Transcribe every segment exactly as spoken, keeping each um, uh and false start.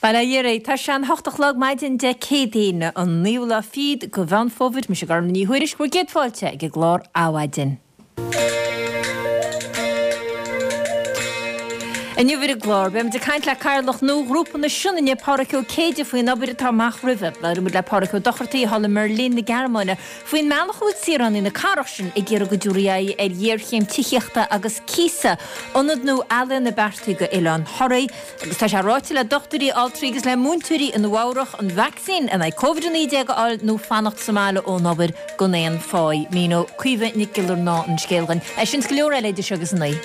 Bail ó Dhia oraibh, tá sé an hocht a chlog maidin Dé Céadaoine, an naoú lá fichead de Mheán Fómhair, mise Gormfhlaith Ní Thuairisg, bhur gcéad fáilte ag an gclár Adhmhaidin. Inniu ar an gclár, beimid ag caint le Cathaoirleach nua Ghrúpa na Sionainne, Pádhraic Ó Céide, faoin obair atá amach roimhe. Labhróidh muid le Pádraig Ó Dochartaigh thall i mBerlin na Gearmáine faoin mbealach a bhfuil saoránaigh na cathrach sin ag iarraidh go dtabharfaí aghaidh ar ghéarchéim tithíochta agus cíosa, ionad nua ealaíona beartaithe go Oileán Thoraí. Agus tá sé ráite le dochtúirí, altraí agus le múinteoirí i Nua Eabhrach an vacsaín in aghaidh Covid a naoi déag a fháil nó fanacht sa mbaile ón obair gan aon pháí. Míneoidh Caoimhe Nic Giollarnáth an scéal dhuinn. É sin 's go leor eile idir seo agus a naoi.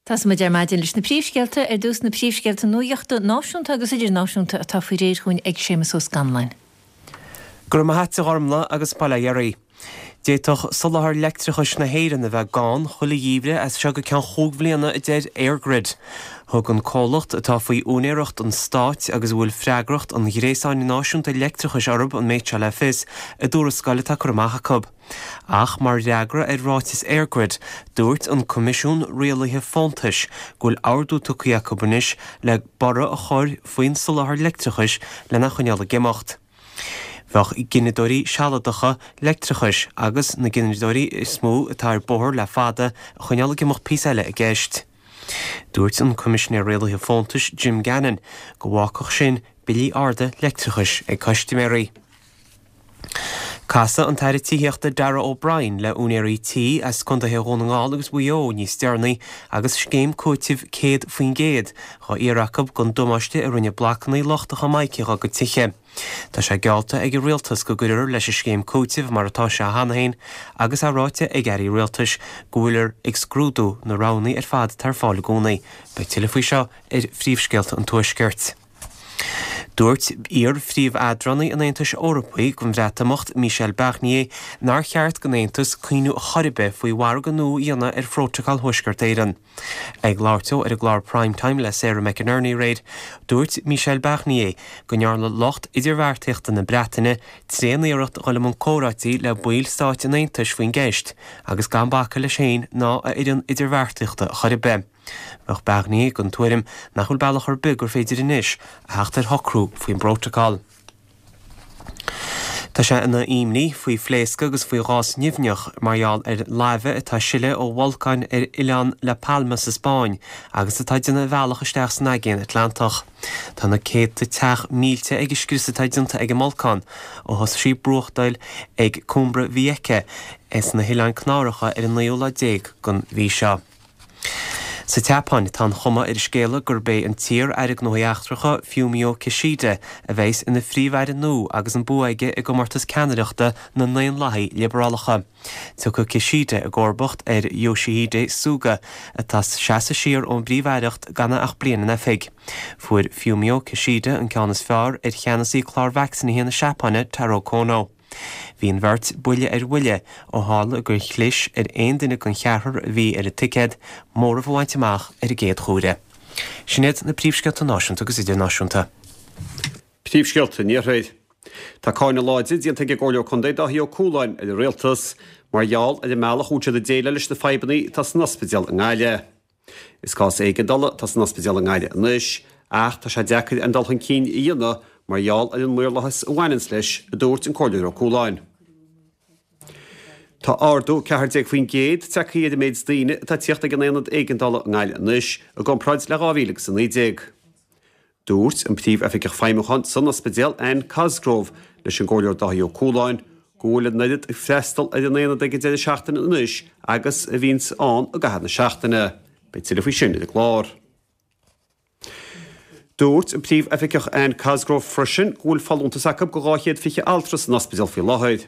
Tosóidh muid ar maidin leis na príomhscéalta, ar dtús na príomhscéalta nuachta náisiúnta agus idirnáisiúnta atá faoi réir chugainn ag Séamus Ó Scanláin. Go raibh maith a't a Ghormfhlaith agus bail ó Dhia oraibh. D'fhéadfadh soláthar leictreachais na hÉireann a bheith gann chuile gheimhreadh as seo go ceann chúig bhliana, a deir EirGrid. Thug an comhlacht, atá faoi úinéireacht an stáit agus a bhfuil freagracht an ghréasáin náisiúnta leictreachais orthu an méid seo le fios i dtuarascáil atá curtha amach acu. Ach mar fhreagra ar ráiteas EirGrid, dúirt an Coimisiún Rialaithe Fóntais go bhfuil ordú tugtha acu anois le borradh a chur faoin soláthar leictreachais lena choinneáil ag imeacht. Bheadh gineadóirí sealadacha leictreachais agus na gineadóirí is mó atá ar bóthar le fada a choinneáil ag imeacht píosa eile i gceist. Dúirt an Coimisinéir Rialaithe Fóntais Jim Gannon go bhfágfadh sin billí arda leictreachais ag custaiméirí. Casfaidh an tAire Tithíochta Darragh O'Brien le úinéirí tí as contaetha Dhún na nGall agus Mhaigh Eo níos deireanaí agus scéim cúitimh céad faoin gcéad dhá iarraidh acu don damáiste a rinne blocanna lochtacha mice dá gcuid tithe. Tá sé geallta ag an rialtas go gcuirfear leis an scéim cúitimh mar atá sé cheana féin agus é ráite ag airí rialtais go bhfuiltear ag scrúdú na roghanna ar fad atá ar fáil i gcónaí. Beidh tuilleadh faoi seo ar phríomhscéalta an Tuaiscirt. Dúirt iar-phríomh-eadránaí an Aontais Eorpaigh don Bhreatimeacht, Michel Barnier, nár cheart don Aontas cuimhneamh chor ar bith faoi mhargadh nua a dhéanamh ar Phrótacal Thuaisceart Éireann. Ag labhairt dó ar an gclár Prime Time le Sarah McInerney aréir, dúirt Michel Barnier go ndearna lucht idirbheartaíochta na Breataine tréan-iarracht dhul i mbun comhráití le baill stáit an Aontais faoin gceist agus gan bacadh leis féin ná a fhoireann idirbheartaíochta chor ar bith. Bheadh Barnier den tuairim nach bhfuil bealach ar bith gur féidir anois a theacht ar shocrú faoin bprótacal. Tá sé ina imní faoi phléascadh agus faoi ghás nimhneach mar gheall ar laibhe atá ag sileadh ó bholcáin ar oileán La Palma sa Spáinn agus atá ag déanamh a bhealach isteach san Aigéan Atlantach. Tá na céadta teach millte ag an scrios atá déanta ag an mbolcán ó thosaigh sí ag brúchtaíl ag Cumbre Vieja sna hOileáin Canáracha ar an naoú lá déag den mhí seo. Sa tSeapáin, tá an chuma ar an scéala gurb é an t-iar-aire Gnóthaí Eachtracha, Fumio Kishida, a bheas ina phríomh-aire nua agus an bua aige i gcomórtas ceannaireachta na nDaonlathaithe Liobrálach. Tiocfaidh Kishida i gcomharbacht ar Yoshihide Suga, atá ag seasamh siar ón bpríomh-aireacht gan é ach bliain in oifig. Fuair Fumio Kishida an ceann is fearr ar cheannasaí clár vacsaínithe na Seapáine, Taro Kono. Bhí an bheirt buille ar bhuille ó tharla gur chlis ar aon duine den cheathrar a bhí ar an ticéad móramh a bhaint amach ar an gcéad chuaire. Sin iad na príomhscéalta náisiúnta agus idirnáisiúnta. Príomhscéalta an Iarthair. Tá cáineadh láidir déanta ag an gComhairleoir Contae Dáithí Ó Cualáin ar an Rialtas mar gheall ar an mbealach a bhfuil siad ag déileáil leis na fadhbanna atá san ospidéal i nGaillimh. Is cás éigeandála atá san ospidéal i nGaillimh anois ach tá sé deacair aon dul chun cinn a dhéanamh mar gheall ar an maorlathas a bhaineanns leis, a dúirt an Comhairleoir Ó Cualáin. Tá ardú ceathair déag faoin gcéad tagtha ar an méid daoine atá ag tíocht ag an Aonad Éigeandála i nGaillimh anois i gcomparáid le dhá mhíle agus a naoi déag. Dúirt an Príomh-Oifigeach Feidhmiúcháin san ospidéal, Anne Cosgrove, leis an gComhairleoir Dáithí Ó Cualáin go bhfuil an oiread ag freastal ar an aonad ag an deireadh seachtaine anois agus a bhíonns ann i gcaitheamh na seachtaine. Beidh tuilleadh faoi sin ar an gclár. Dúirt an Príomh-Oifigeach Anne Cosgrove freisin go bhfuil folúntas acu go dhá chéad fiche altra san ospidéal faoi láthair.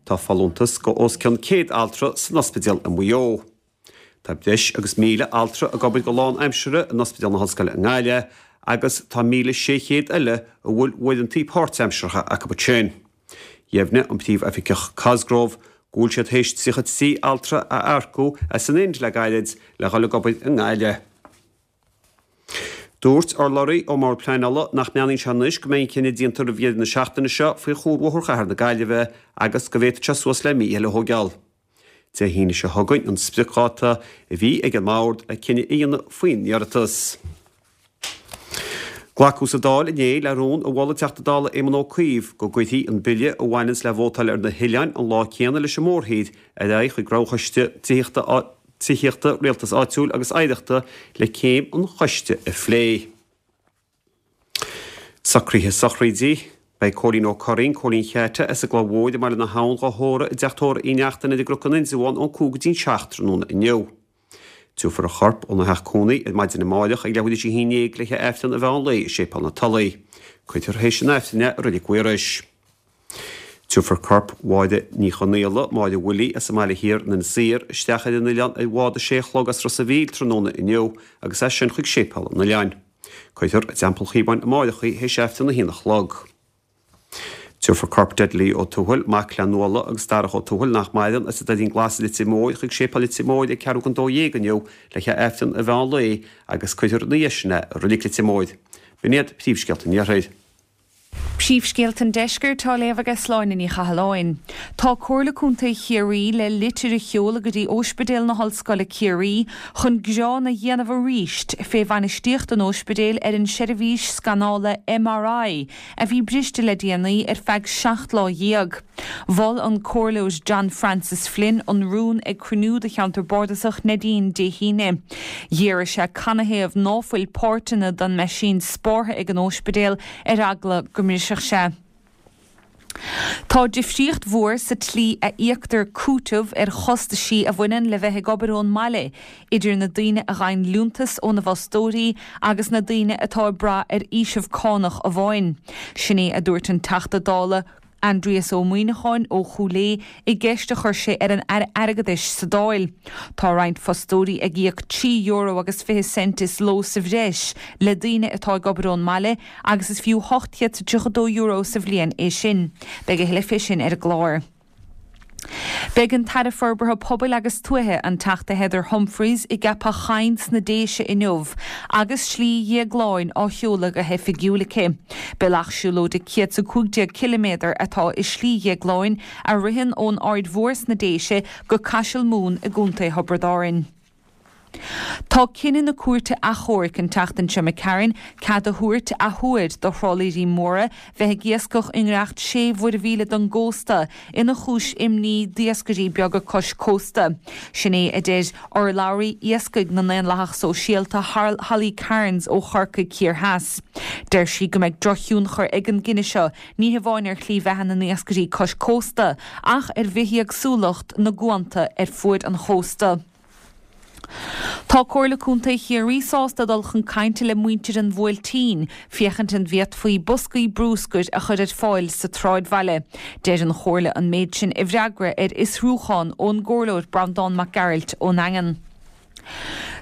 Tá folúntas go os cionn céad altra san ospidéal i Maigh Eo. Tá breis agus míle altra ag obair go lánaimseartha in Ospidéal na hOllscoile i nGaillimh agus tá míle sé chéad eile a bhfuil uaireanta páirtaimseartha acu ansin. Dheimhnigh an Príomh-Oifigeach Cosgrove go bhfuil siad théis tríocha trí altra a earcú as an Ind le gairid le dhul ag obair i nGaillimh. Dúirt urlabhraí ón mBord Pleanála nach mbeannaíonn sé anois go mbeidh an cinneadh déanta roimh dheireadh na seachtaine seo faoi chuarbhóthar chathair na Gaillimhe agus go bhféadfadh sé suas le mí eile a thógáil. Dé hAoine seo chugainn an spriocdháta a bhí ag an mBord le cinneadh a dhéanamh faoin iarratas. Glacadh sa Dáil inné le rún a mhol an Teachta Dála Éamon Ó Cuív go gcuirfí an bille a bhaineanns le vótáil ar na hoileáin an lá céanna leis an mórthír ar aghaidh chuig Roghchoiste Tithíochta Tithíochta, Rialtais Áitiúil agus Oidhreachta le céim an choiste a phlé. Socruithe sochraide. Beidh Cóilín Ó Curraoin, Cóilín Cheaite, as an gCloich Mhóir i mBaile na hAbhann dhá thórramh i dteach tórraimh Uí Neachtain ar an gCnoc in Indreabhán ón cúig go dtí'n seacht tráthnóna inniu. Tabharfar a chorp óna theach cónaí ar maidin amáireach ag leathuair tar éis a haon déag le haghaidh Aifreann an mheán lae i Séipéal na Tulaí. Cuirfear théis an Aifrinn é i Reilig Mhaorais. Tabharfar corp Mháire Ní Chonaola, Máire Willie, as an mBaile Thiar in Inis Oírr, isteach ar an oileán ar bhád a sé a chlog as Ros a' Mhíl tráthnóna inniu agus as sin chuig Séipéal an Oileáin. Cuirfear i dTeampall Chíobáin amáireach í théis Aifreann a haon a chlog. Tabharfar corp Dudley Ó Tuathail, mac le Nuala agus Darach Ó Tuathail nach maireann, as an Doirín Glas i Leitir Móir chuig Séipéal Leitir Móir ag ceathrú don dó dhéag inniu le haghaidh Aifreann an mheán lae agus cuirfear ina dhiaidh sin é i Reilig Leitir Móir. B'in iad príomhscéalta an Iarthair. Príomhscéalta an Deiscirt á léamh ag Sláine Ní Chathalláin. Tá Comhairle Contae Chiarraí le litir a sheoladh go dtí Ospidéal na hOllscoile Ciarraí chun gearán a dhéanamh arís fé bhainistíocht an ospidéil ar an seirbhís scanála MRI a bhí briste le déanaí ar feadh seacht lá dhéag. Mhol an Comhairleoir John Francis Flynn an rún ag cruinniú de cheantar bardasach Neidín Dé hAoine. D'iarr sé canathaobh ná fuil páirteanna den meaisín spártha ag an ospidéal ar eagla go mbrisfeadh sé. Tá difríocht mhór sa tslí a íoctar cúiteamh ar chostaisí a bhaineann le bheith ag obair ón mbaile idir na daoine a ghaibheann liúntas óna bhfostóirí agus na daoine atá ag brath ar fhaoiseamh cánach amháin. Sin é a dúirt an Teachta Dála Aindrias Ó Muimhneacháin ó Chúil Aodha i gceist a chuir sé ar an Aire Airgeadais sa Dáil. Tá roinnt fostóirí ag íoc trí euro agus fiche cent is ló sa bhreis le daoine atá ag obair ón mbaile agus is fiú ocht chéad is tríocha dó euro sa bhliain é sin. Beidh a thuilleadh fé sin ar an gclár. Beidh an tAire Forbartha Pobail agus Tuaithe, an Teachta Heather Humphreys, i gCeapach Choinn sna Déise inniu agus Slí Dhéagláin á sheoladh go hoifigiúil aici. Bealach siúlóide céad is a cúig déag ciliméadar atá i Slí Dhéagláin a ritheann ón Aird Mhór sna Déise go Caiseal Mumhan i gContae Thiobraid Árann. Tá cinneadh na Cúirte Achomhairc an tseachtain seo imigh tharainn cead a thabhairt athuair do thrálaeirí móra bheith ag iascach i ngiorracht sé mhuirmhíle don gcósta ina chúis imní d'iascairí beaga cois cósta. Sin é a deir urlabhraí iascaigh na nDaonlathach Sóisialta Holly Cairns ó Chorcaigh Thiar Theas. Deir sí go mbeidh drochthionchar ag an gcinneadh seo ní hamháin ar shlí bheatha na n-iascairí cois cósta ach ar bhithéagsúlacht na gcuanta ar fuaid an chósta. Tá Comhairle Contae Chiarraí sásta dul chun cainte le muintir an Bhuailtín féachaint an bhféadfaí boscaí brúscair a chur ar fáil sa tsráidbhaile. Deir an Chomhairle an méid sin i bhfreagra ar fhiosrúchán ón gComhairleoir Breandán Mac Gearailt ón nDaingean.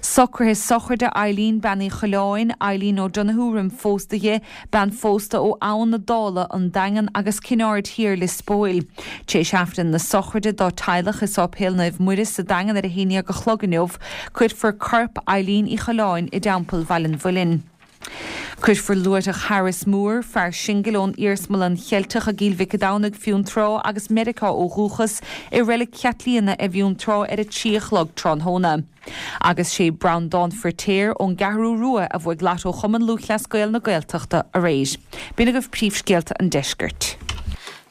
Socruithe sochraide Eileen Bean Uí Choileáin, Eileen O'Donoghue roim phósadh di, bean phósta ó Abhainn na Dála, An Daingean agus Cinn Aird Thiar, Lios Póil. Tar éis Aifreann na sochraide dá teaghlach i Sáipéal Naomh Muire sa Daingean ar a haon déag a chlog inniu, cuirfear corp Eileen Uí Choileáin i dTeampall Bhaile an Mhuilinn. Cuirfear luaithreach Harris Moore, fear singil ón Iarsmalann Cheilteach i gCill Mhic an Domhnaigh, Fionntrá agus Meiriceá ó dhúchas, i Reilig Chaitlíona i bhFionntrá ar a trí a chlog tráthnóna. Agus sé Breandán Firtéar ón gCeathrú Rua a bhuaigh Lotto Chumann Lúthchleas Gael na Gaeltachta aréir. B'in agaibh príomhscéalta an deiscirt.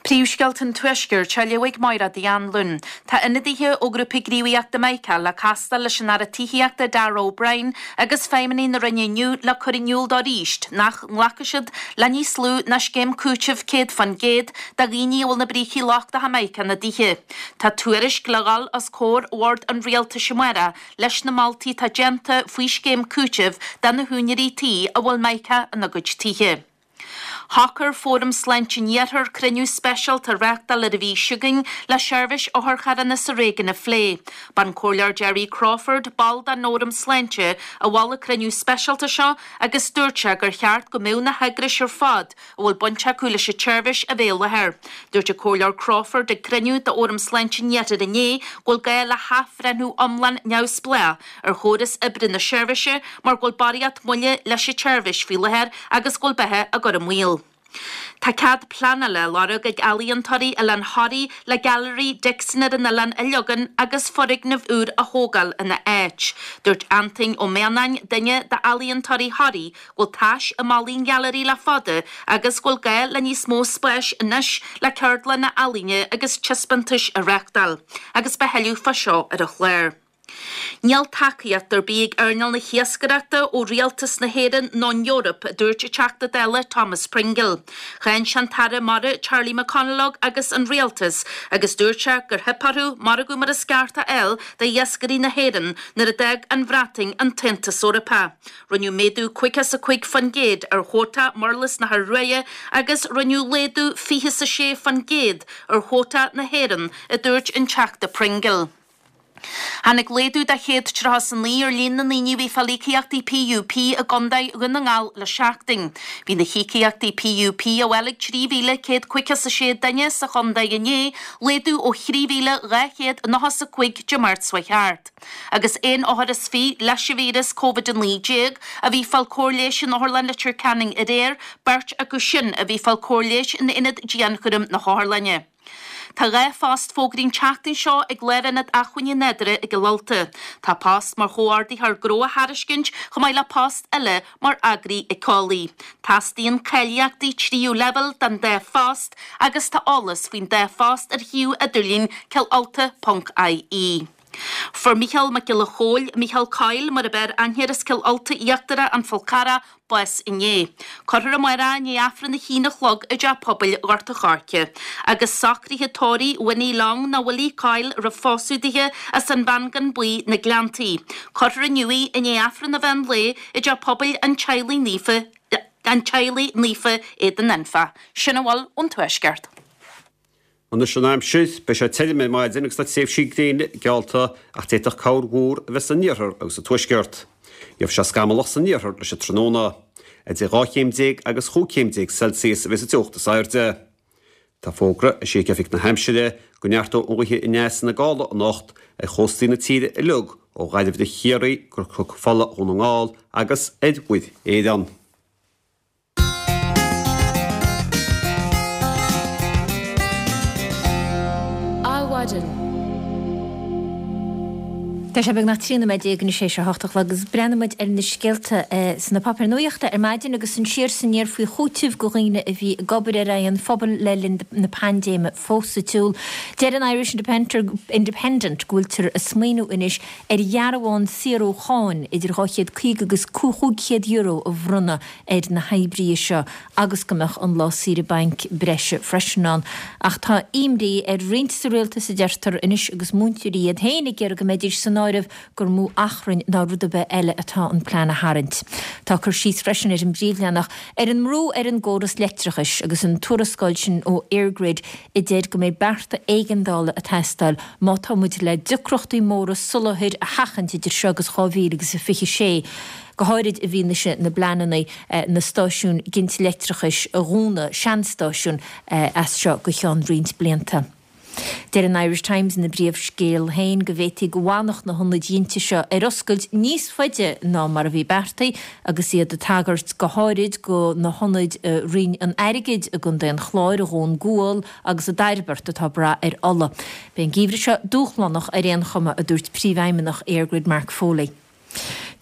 Príomhscéalta an Tuaiscirt á léamh ag Máire Uí Anluain. Tá ionadaithe ó Ghrúpa Gníomhaíochta Mica le castáil leis an Aire Tithíochta Darragh O'Brien agus feidhmeannaigh na Roinne inniu le cur in iúl dó arís nach nglacfaidh siad le níos lú ná scéim cúitimh céad faoin gcéad do dhaoine a bhfuil na brící lochtacha mica ina dtithe. Tá tuairisc le dhul os comhair Bhord an Rialtais amárach leis na moltaí atá déanta faoi scéim cúitimh do na húinéirí tí a bhfuil mica ina gcuid tithe. Shocair Fóram Sláinte an Iarthair cruinniú speisialta a reáchtáil ar an mhí seo chugainn le seirbhís otharcharranna sa réigiún a phlé. B'an Comhairleoir Jerry Crawford, ball den Fhóram Sláinte, a mhol an cruinniú speisialta seo agus dúirt sé gur cheart go mbeadh na heagrais ar fad a bhfuil baint acu leis an tseirbhís a bheith i láthair. Dúirt an Comhairleoir Crawford ag cruinniú d'Fhóram Sláinte an Iarthair inné go bhfuil gá le hathbhreithniú iomlán neamhspleách ar chóras oibre na seirbhíse mar go bhfuil barraíocht moille leis an tseirbhís faoi láthair agus go bhfuil beatha á cur i mbaol. Tá cead pleanála á lorg ag ealaíontóirí Oileán Thoraí le Gailearaí Dixon ar an oileán a leagan agus foirgneamh úr a thógáil ina áit. Dúirt Antain Ó Mianáin, duine d'ealaíontóirí Thoraí, go bhfuil tais i mballaí an ghailearaí le fada agus go bhfuil gá le níos mó spáis anois le ceardlanna ealaíne agus taispeántais a reáchtáil. Agus beidh tuilleadh fá seo ar an chlár. Níl tacaíocht ar bith ag earnáil na hiascaireachta ó Rialtas na hÉireann nó an Eoraip, a dúirt an Teachta Dála Thomas Pringle. Cháin sé an tAire Mara Charlie McConalogue agus an Rialtas agus dúirt sé gur theip orthu margadh mar is ceart a fháil d'iascairí na hÉireann nuair a d'fhág an Bhreatain an tAontas Eorpach. Rinneadh méadú caoga is a cúig faoin gcéad ar chuóta murlas na hIorua agus rinneadh laghdú fiche is a sé faoin gcéad ar chuóta na hÉireann, a dúirt an Teachta Pringle. Tháinig laghdú de chéad tríocha is a naoi ar líon na ndaoine a bhí ag fáil íocaíochtaí PUP i gContae Dhún na nGall le seachtain. Bhí na híocaíochtaí PUP á bhfáil ag trí mhíle céad caoga is a sé duine sa chontae inné, laghdú ó thrí mhíle dhá chéad nócha is a cúig Dé Máirt seo thart. Agus aon othar is fiche leis an víreas Covid a naoi déag a bhí ag fáil cóir leighis in Otharlann Leitir Ceanainn aréir, beirt acu sin a bhí ag fáil cóir leighis in Ionad Dianchúraim na hOtharlainne. Tá dhá phost fógraithe an tseachtain seo ag Lárionad Acmhainní Nádúrtha i gCill Ulta. Tá post mar chomhordaitheoir gnó á thairiscint chomh maith le post eile mar eagraí éiceolaí. Teastaíonn cáilíochtaí tríú leibhéal don dá phost agus tá eolas faoin dá phost ar shuíomh idirlín cillulta ponc ie. Fuair Mícheál Mac Giolla Chóill, Mícheál Coyle mar ab fhearr aithne air as Cill Ulta Íochtarach An Fál Carrach, bás inné. Cuirfear amárach é i ndiaidh Aifreann a haon a chlog i dTeach Pobail Ghort a' Choirce. Agus socruithe tórraimh Winnie Long nó Willie Coyle a raibh phósadh dithe as an Mhangan Buí, Na Gleanntaí. Cuirfear inniu í i ndiaidh Aifreann an mheán lae i dTeach Pobail an Teaghlaigh Naofa an Teaghlaigh Naofa, Éadan Anfa. Sin a bhfuil ón Tuaisceart. Anois an aimsir, beidh sé tirim ar maidin agus tá tréimhsí gréine geallta ach d'fhéadfadh corrmhúr a bheith san iarthar agus sa tuaisceart. Gheobhaidh sé scamallach san iarthar leis an tráthnóna. Idir dhá chéim déag agus chúig chéim déag Celsius a bheas an teocht is airde. Tá fógra eisithe ag Oifig na hAimsire go neartóidh an ghaoth aneas ina gála anocht ar chóstaí na tíre uilig ó Ghaillimh go Ciarraí go Cnoc Fola Dhún na nGall agus ar Mhuir Éireann. Adhmhaidin. Tá sé beagnach trí nóiméad déag anois théis a hocht a chlog agus breathnóidh muid ar na scéalta sna páipéir nuachta ar maidin agus an siar is aniar faoi chúiteamh do dhaoine a bhí ag obair ar aghaidh an phobail le linn na paindéime fós sa tsiúl. Deir an Irish Independent go bhfuiltear ag smaoineamh anois ar dhearbhán saothrúcháin idir dhá chéad caoga agus cúig chéad euro a bhronnadh ar na hoibrithe seo agus go mbeadh an lá saoire bainc breise freisin ann. Ach tá imní ar roinnt sa rialtas a deirtear anois agus múinteoirí iad féin ag iarraidh go mbeidís san áireamh gur mó achrainn ná rud ar bith eile atá an plean a tharraingt. Tá cur síos freisin ar an bpríomhleathanach ar an mbrú ar an gcóras leictreachais agus an tuarascáil sin ó EirGrid a deir go mbeidh bearta éigeandála ag teastáil má tá muid le deacrachtaí móra soláthair a sheachaint idir seo agus dhá mhíle agus a fiche sé. go háirid i bhfianaise na bpleananna na stáisiúin ginte leictreachais a dhúnadh, seanstáisiúin, as seo go ceann roinnt blianta. Deir an Irish Times ina bpríomhscéal féin go bhféadfaí go bhfanfadh na hionaid ghinte seo ar oscailt níos faide ná mar a bhí beartaithe agus iad ag tagairt go háirid do na hionaid i Rinn an Airgid i gContae an Chláir, i Dhún Gual agus i dTairbeart atá ag brath ar ola. Beidh an geimhreadh seo dúshlánach ar aon chuma, a dúirt Príomhfheidhmeannach EirGrid Mark Foley.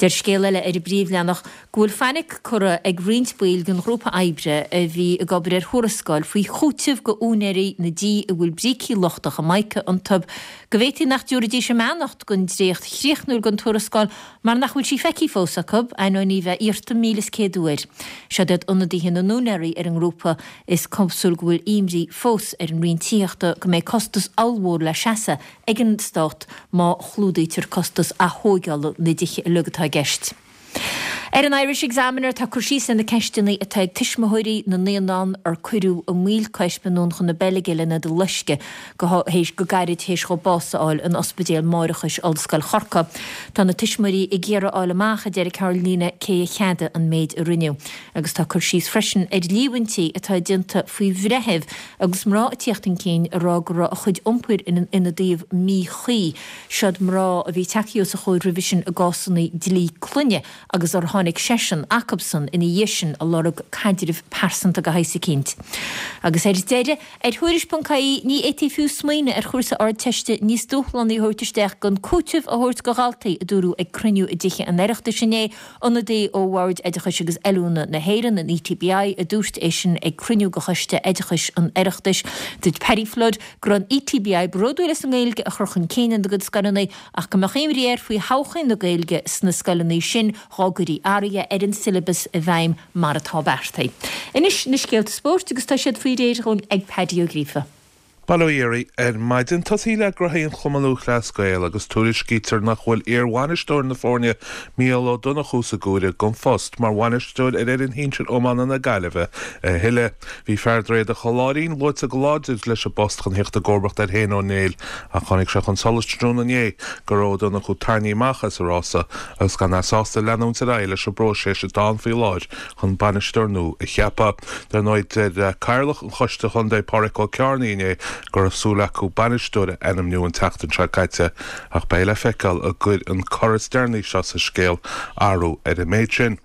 Deir scéal eile ar an bpríomhleathanach go bhfuil fainic curtha ag roinnt baill den ghrúpa oibre a bhí ag obair ar thuarascáil faoi chúiteamh go úinéirí na dtí a bhfuil brící lochtacha mica iontu go bhféadfaí nach dtabharfaidís a mbeannacht don dréacht chríochnúil den tuarascáil mar nach bhfuil sí feicthe fós acu, ainneoin í bheith iarrta míle is céad uair. Seod iad ionadaithe na n-úinéirí ar an ngrúpa. Is cosúil go bhfuil imní fós ar an Roinn Tithíochta go mbeidh costas ollmhór le seasamh ag an Stát má chlúdaítear costas athógála na dtithe uilig atá i gceist. Ar an Irish Examiner tá cur síos ar na ceisteanna atá ag tuismitheoirí na naíonán ar cuireadh i mbaol coisc anonn chun na Beilge lena loisceadh go héis go gairid théis dhóibh bás a fháil in Ospidéal Máithreachais Ollscoil Chorcaí. Tá na tuismitheoirí ag iarraidh a fháil amach, a deir Carolina, cé a cheadaigh an méid a rinneadh. Agus tá cur síos freisin ar líomhaintí atá déanta faoi bhreitheamh agus mná ag tíocht chun cinn ag rá go raibh a chuid iompair ina dtaobh míchuí. Siod mná a bhí tagtha os a chomhair roimhe sin i gcásanna dlí clainne agus ar tháinig seisean acubsan ina dhiaidh sin ag lorg caidreamh pearsanta de shaghas eicínt. Agus ar deireadh, ar Thuairisc ponc ie ní fhéadfaí fiú smaoineamh ar chúrsa Ardteiste níos dúshlánaí a thabhairt isteach gan cúiteamh a thabhairt do dhaltaí, a dúradh ag cruinniú i dTithe an Oireachtais inné. Ionadaí ó Bhord Oideachais agus Oiliúna na hÉireann, an E T B I, a dúirt é sin ag cruinniú de Choiste Oideachais an Oireachtais. Dúirt Paddy Flood go raibh an E T B I bródúil as an nGaeilge a chur chun cinn ina gcuid scoileanna ach go mbeadh imní air faoi thodhchaí na Gaeilge sna scoileanna sin dá gcuirfí athruithe ar an siollabas i bhfeidhm mar atá beartaithe. Anois na scéalta spóirt agus tá siad faoi réir dhúinn ag Paddy Ó Gríofa. Bail ó Dhia oraibh ar maidin. Tosaí le gnoithí an Chumann Lúthchleas Gael agus tuairiscítear nach bhfuil iar-bhainisteoir na foirne Mícheál Ó Donnchú sa gcomhaireamh don phost mar bhainisteoir ar fhoireann shinsir iomána na Gaillimhe a thuilleadh. Bhí fear Dhroichead an Choláirín luaite go láidir leis an bpost chun theacht i gcomharbacht ar Shéan Ó Néill ach tháinig sé chun solais tráthnóna inné go raibh Ó Donnchú tarraingthe amach as an rása agus gan é sásta leanúint ar aghaidh leis an bpróiseas atá ann faoi láthair chun bainisteoir nua a cheapadh. Dar ndóigh deir Cathaoirleach an Choiste Chontae Pádraig Ó Cearnaigh inné go raibh súil acu bainisteoir a ainmniú an tseachtain seo caite ach beidh le feiceáil an gcuirfidh an cor is deireanaí seo sa scéal athrú ar an méid sin.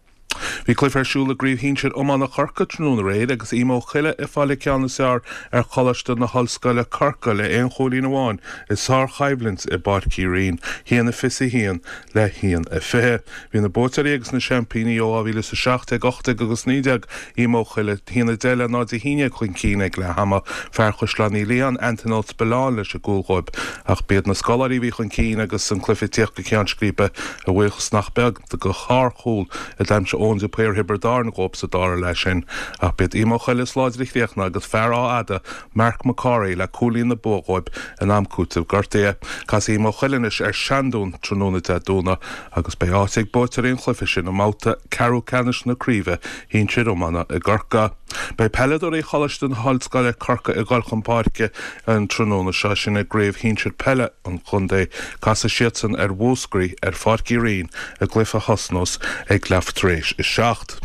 Bhí cluiche ar siúl i gcraobh shinsir iomána Chorcaí tráthnóna aréir agus Ím Ó Coille ag fáil an ceann is fearr ar Choláiste na hOllscoile Corcaigh le aon chúilín amháin i sárchoimhlint i bPáirc Uí Rinn, haon a fiche haon le haon a fiche. Bhí na buaiteoirí agus na seaimpíní ó dhá mhíle is a seacht déag, ocht déag agus naoi déag Ím Ó Coille haon a deich le náid a haon déag chun cinn ag leath ama fear Chaisleán Uí Liatháin Anton Ó Spilleáin leis an gcúl dhóibh ach b'iad na scoláirí a bhí chun cinn agus an cluiche ag tíocht go ceann scríbe a bhuíochas nach beag do shárchúl a d'aimsigh Eoin de Paor Thiobraid Árann dhóibh sa dara leath sin ach b'iad Ím Ó Coille is láidre a chríochnaigh agus fear Áth Fhada Mark McCorry le cúilín na bua dhóibh in am cúitimh gortaithe. Casfaidh Ím Ó Coille anois ar Seandún tráthnóna Dé Domhnaigh agus beidh áit ag buaiteoirí an chluiche sin i mbabhta ceathrú ceannais na craoibhe shinsir iomána i gCorcaigh. Beidh peileadóirí Choláiste na hOllscoile Corcaigh ag dul chun páirce an tráthnóna seo sin i gcraobh shinsir peile an chontae casfaidh siadsan ar Mhúscraí ar Pháirc Uí Rinn i gcluiche a thosnós ag leath tar éis a seacht.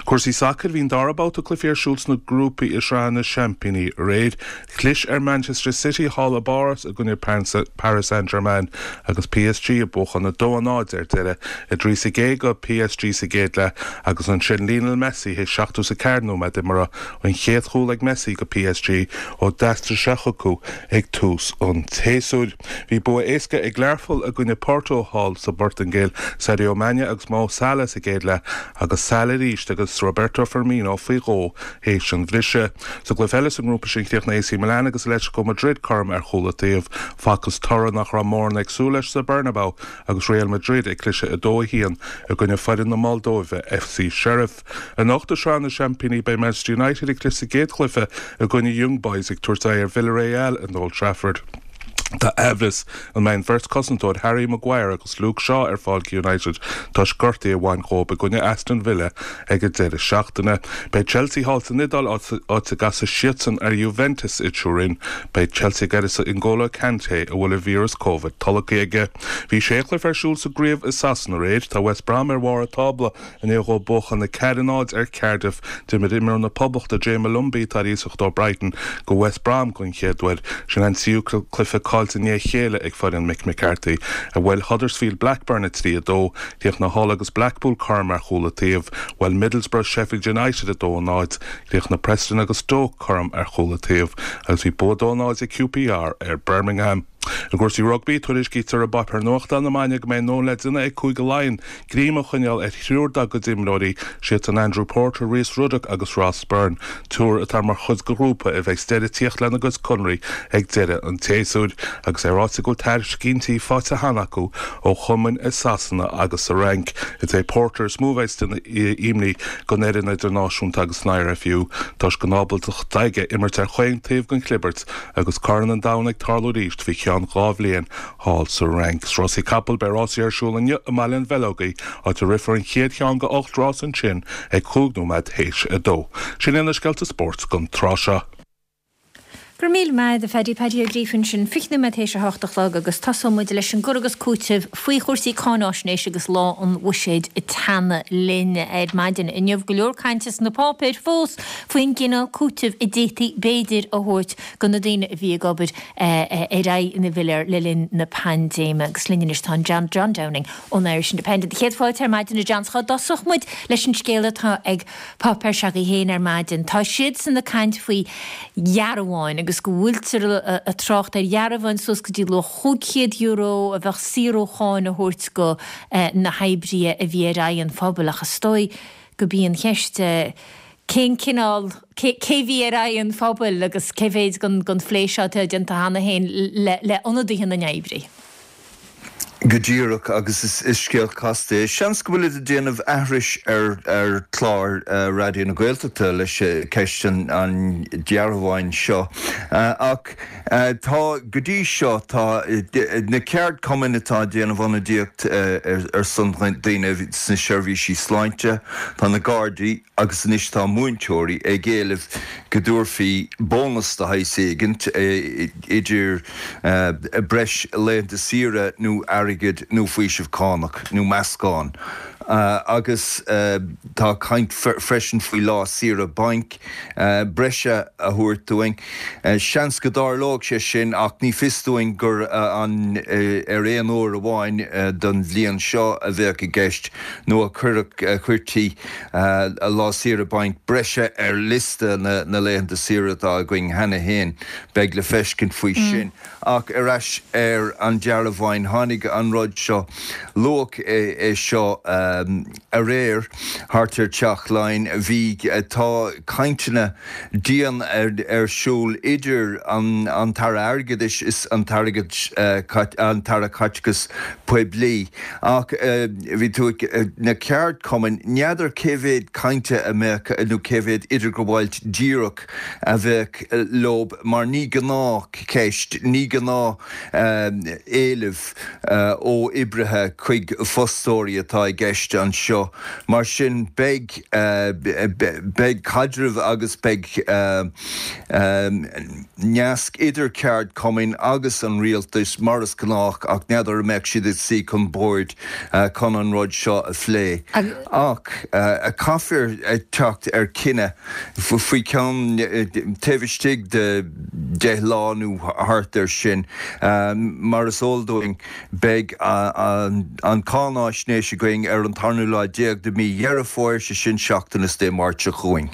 Cúrsaí sacair bhí an dara babhta cluichí ar siúl sna grúpaí i sraith na seaimpíní aréir. Chlis ar Manchester City thall i bPáras i gcoinne Paris Saint-Germain agus P S G ag buachan a dó a náid ar deireadh a trí sa gcéad do P S G sa gcéad leath agus ansin Lionel Messi théis seachtó is a ceathair nóiméad imeartha an chéad chúl ag Messi do P S G ó d'aistrigh sé chucu ag tús an tséasúir. Bhí bua éasca ag Learpholl i gcoinne Porto thall sa bPortaingéil Sadio Mané agus Mo Salah sa gcéad leath agus Salah arís agus Roberto Firmino faoi dhó théis an bhriseadh. Sa gcluiche eile sa ngrúpa sin chríochnaigh A C Milan agus Atletico Madrid cothrom ar chúl an taobh Facthas toradh nach raibh mórán ag súil leis sa Bernabeu agus Real Madrid ag cliseadh a dó a haon i gcoinne foireann na Moldóive F C Sheriff. Anocht i sraith na seaimpíní beidh Manchester United ag cliseadh sa gcéad chluiche i gcoinne Young Boys ag tabhairt aghaidh ar Villarreal in Old Trafford. Tá aimhleas an mbeidh an bheirt cosantóir Harry Maguire agus Luke Shaw ar fáil United toisc gortú a bhain dhóibh i gcoinne Aston Villa ag an deireadh seachtaine. Beidh Chelsea thall san Iodáil áit a gcasfaidh siadsan ar Juventus i Turin. Beidh Chelsea ag uireasa N'Golo Kanté a bhfuil an víreas COVID tolgtha aige. Bhí sé chluiche ar siúl sa gcraobh i Sasana aréir tá West Brom ar bharr an tábla i ndiaidh dóibh buachan a ceathair a náid ar Cardiff d'imir imreoir na Poblachta Jay Molumby tar iasacht ó Brighton go West Brom don chéad uair sin an tríú cluiche caillte i ndiaidh a chéile ag foireann Mick McCarthy a bhuail Huddersfield Blackburn a trí a dó chríochnaigh Hull agus Blackpool cothrom ar chúl an taobh bhuail Middlesbrough Sheffield United a dó a náid chríochnaigh Preston agus Stoke cothrom ar chúl an taobh agus bhí bua dó náid ag Q P R ar Birmingham. I gcúrsaí rugbaí tuairiscítear i bpáipéar nuachta na maidine go mbeidh nó le duine ag Cúige Laighean greim a choinneáil ar thriúr dá gcuid imreoirí siad an Andrew Porter, Rhys Ruddock agus Ross Byrne, triúr atá mar chuid de ghrúpa a bheidh deireadh ag tíocht lena gcuid conraí ag deireadh an tséasúir, agus é ráite go bhfuil tairiscintí faighte cheana acu ó chumainn i Sasana agus sa Fhrainc. Is é Porter is mó a bheidh ina imní don fhoireann idirnáisiúnta agus an I R F U toisc an ábaltacht aige imirt ar chaon taobh den chlibirt agus Corn an Domhain ag tarlú arís faoi cheann. ceann dhá bhliain thall sa Fhrainc. Is rásaí capall beidh rásaí ar siúl inniu i mBaile an Bheileogaigh, áit a rithfear an chéad cheann de ocht rás ansin ag cúig nóiméad théis a dó. Sin iad na scéalta spóirt don tráth seo. Go raibh míle maith agat a Phaddy Paddy Ó Gríofa ansin fiche nóiméad théis a hocht a chlog agus tosóidh muid leis an gcur agus cúiteamh faoi chúrsaí cáináisnéis agus lá an bhuiséid ag teannadh linn ar maidin. Inniu go leor cainte sna páipéir fós faoin gcineál cúitimh a d'fhéadfaí b'fhéidir a thabhairt do na daoine a bhí ag obair ar aghaidh na bpiléar le linn na paindéime. Agus linn anois tá John John Downing ón Irish Independent. Céad fáilte ar maidin a John cá dtosódh muid leis an scéal atá ag páipéar s'agaibh féin ar maidin. Tá siadsan ag caint faoi dhearbháin agus go bhfuiltear ag trácht ar dhearbháin suas go dtí luach chúig chéad euro a bheadh saor ó cháin a thabhairt go na hoibrithe a bhí ar aghaidh an phobail ach is dóigh gurb í an cheist cén cineál cé bhí ar aghaidh an phobail agus cé mhéid den phlé seo atá déanta cheana féin le ionadaithe na n-oibrithe. Go díreach agus is scéal casta é. Seans go bhfuil ag déanamh aithris ar ar chlár Raidió na Gaeltachta leis ceist an dearbháin seo. Ach tá go dtí seo tá na ceardchumainn atá ag déanamh ionadaíocht ar son daoine sna seirbhísí sláinte, tá na Gardaí agus anois tá múinteoirí ag éileamh go dtabharfaí bónas de shaghas éigint idir breis laethanta saoire nó airgead nó faoiseamh cánach nó meascán. Agus tá caint freisin faoi lá saoire bainc breise a thabhairt dúinn. Seans go dtarlódh sé sin ach ní fios dúinn gur an ar aon uair amháin don bhliain seo a bheadh i gceist nó a chuirtí lá saoire bainc breise ar liosta na laethanta saoire atá againn cheana féin. Beidh le feiscint faoi sin. Ach ar ais ar an dearbháin, tháinig an rud seo, luadh é seo aréir thart ar Teach Laighean. Bhí, tá cainteanna dian ar siúl idir an tAire Airgeadais is an tAire Caiteachais Poiblí ach bhí tú ag, na ceardchumainn, n'fheadar cé mhéad cainte a mbeadh nó cé mhéad idirghabháil díreach a bheadh leo mar ní gnáthcheist, ní gnáth éileamh ó oibrithe chuig fostóirí atá i gceist anseo. Mar sin beidh beidh caidreamh agus beidh nasc idir ceardchumainn agus an rialtas mar is gnách ach n'fheadar an mbeadh siad ag suí chun boird chun an rud seo a phlé. Ach caithfear teacht ar chinneadh faoi cheann taobh istigh de deich lá nó thart air sin. Mar is eol dúinn beidh an cháinaisnéis againn ar an tarnú lá déag de mhí Dheireadh Fómhair, sé sin seachtain is Dé Máirt seo chugainn.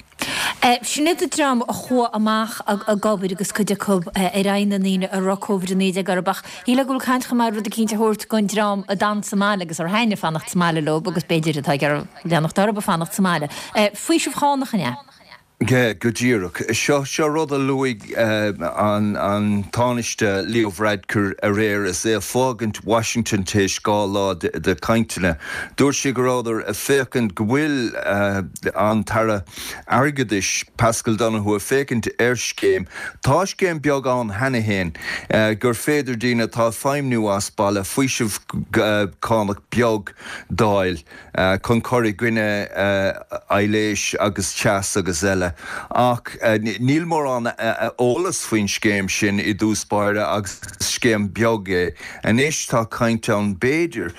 Sin iad an dream a chuaigh amach ag obair agus cuid acu ar aghaidh na ndaoine a raibh Covid a naoi déag orthu ach shílfeá go bhfuil caint chomh maith rud eicínt a thabhairt don dream a d'fhan sa mbaile agus ar thaitnigh fanacht sa mbaile leo agus b'fhéidir atá ag iarraidh leanacht orthu ag fanacht sa mbaile. Faoiseamh chánach an ea? Go díreach. Seo seo rud a luaigh an an Tánaiste Leo Varadkar aréir is é ag fágaint Washington théis dhá lá de chainteanna. Dúirt sé go rabhadar ag féachaint go bhfuil an tAire Airgeadais Paschal Donohoe ag féachaint ar scéim. Tá scéim beag ann cheana féin gur féidir daoine atá ag feidhmniú as baile faoiseamh cánach beag d'fháil. chun cur i gcoinne aibhléis agus teas agus eile. Ach níl mórán eolas faoin scéim sin i dtús báire agus is scéim beag é. Anois tá caint ann b'fhéidir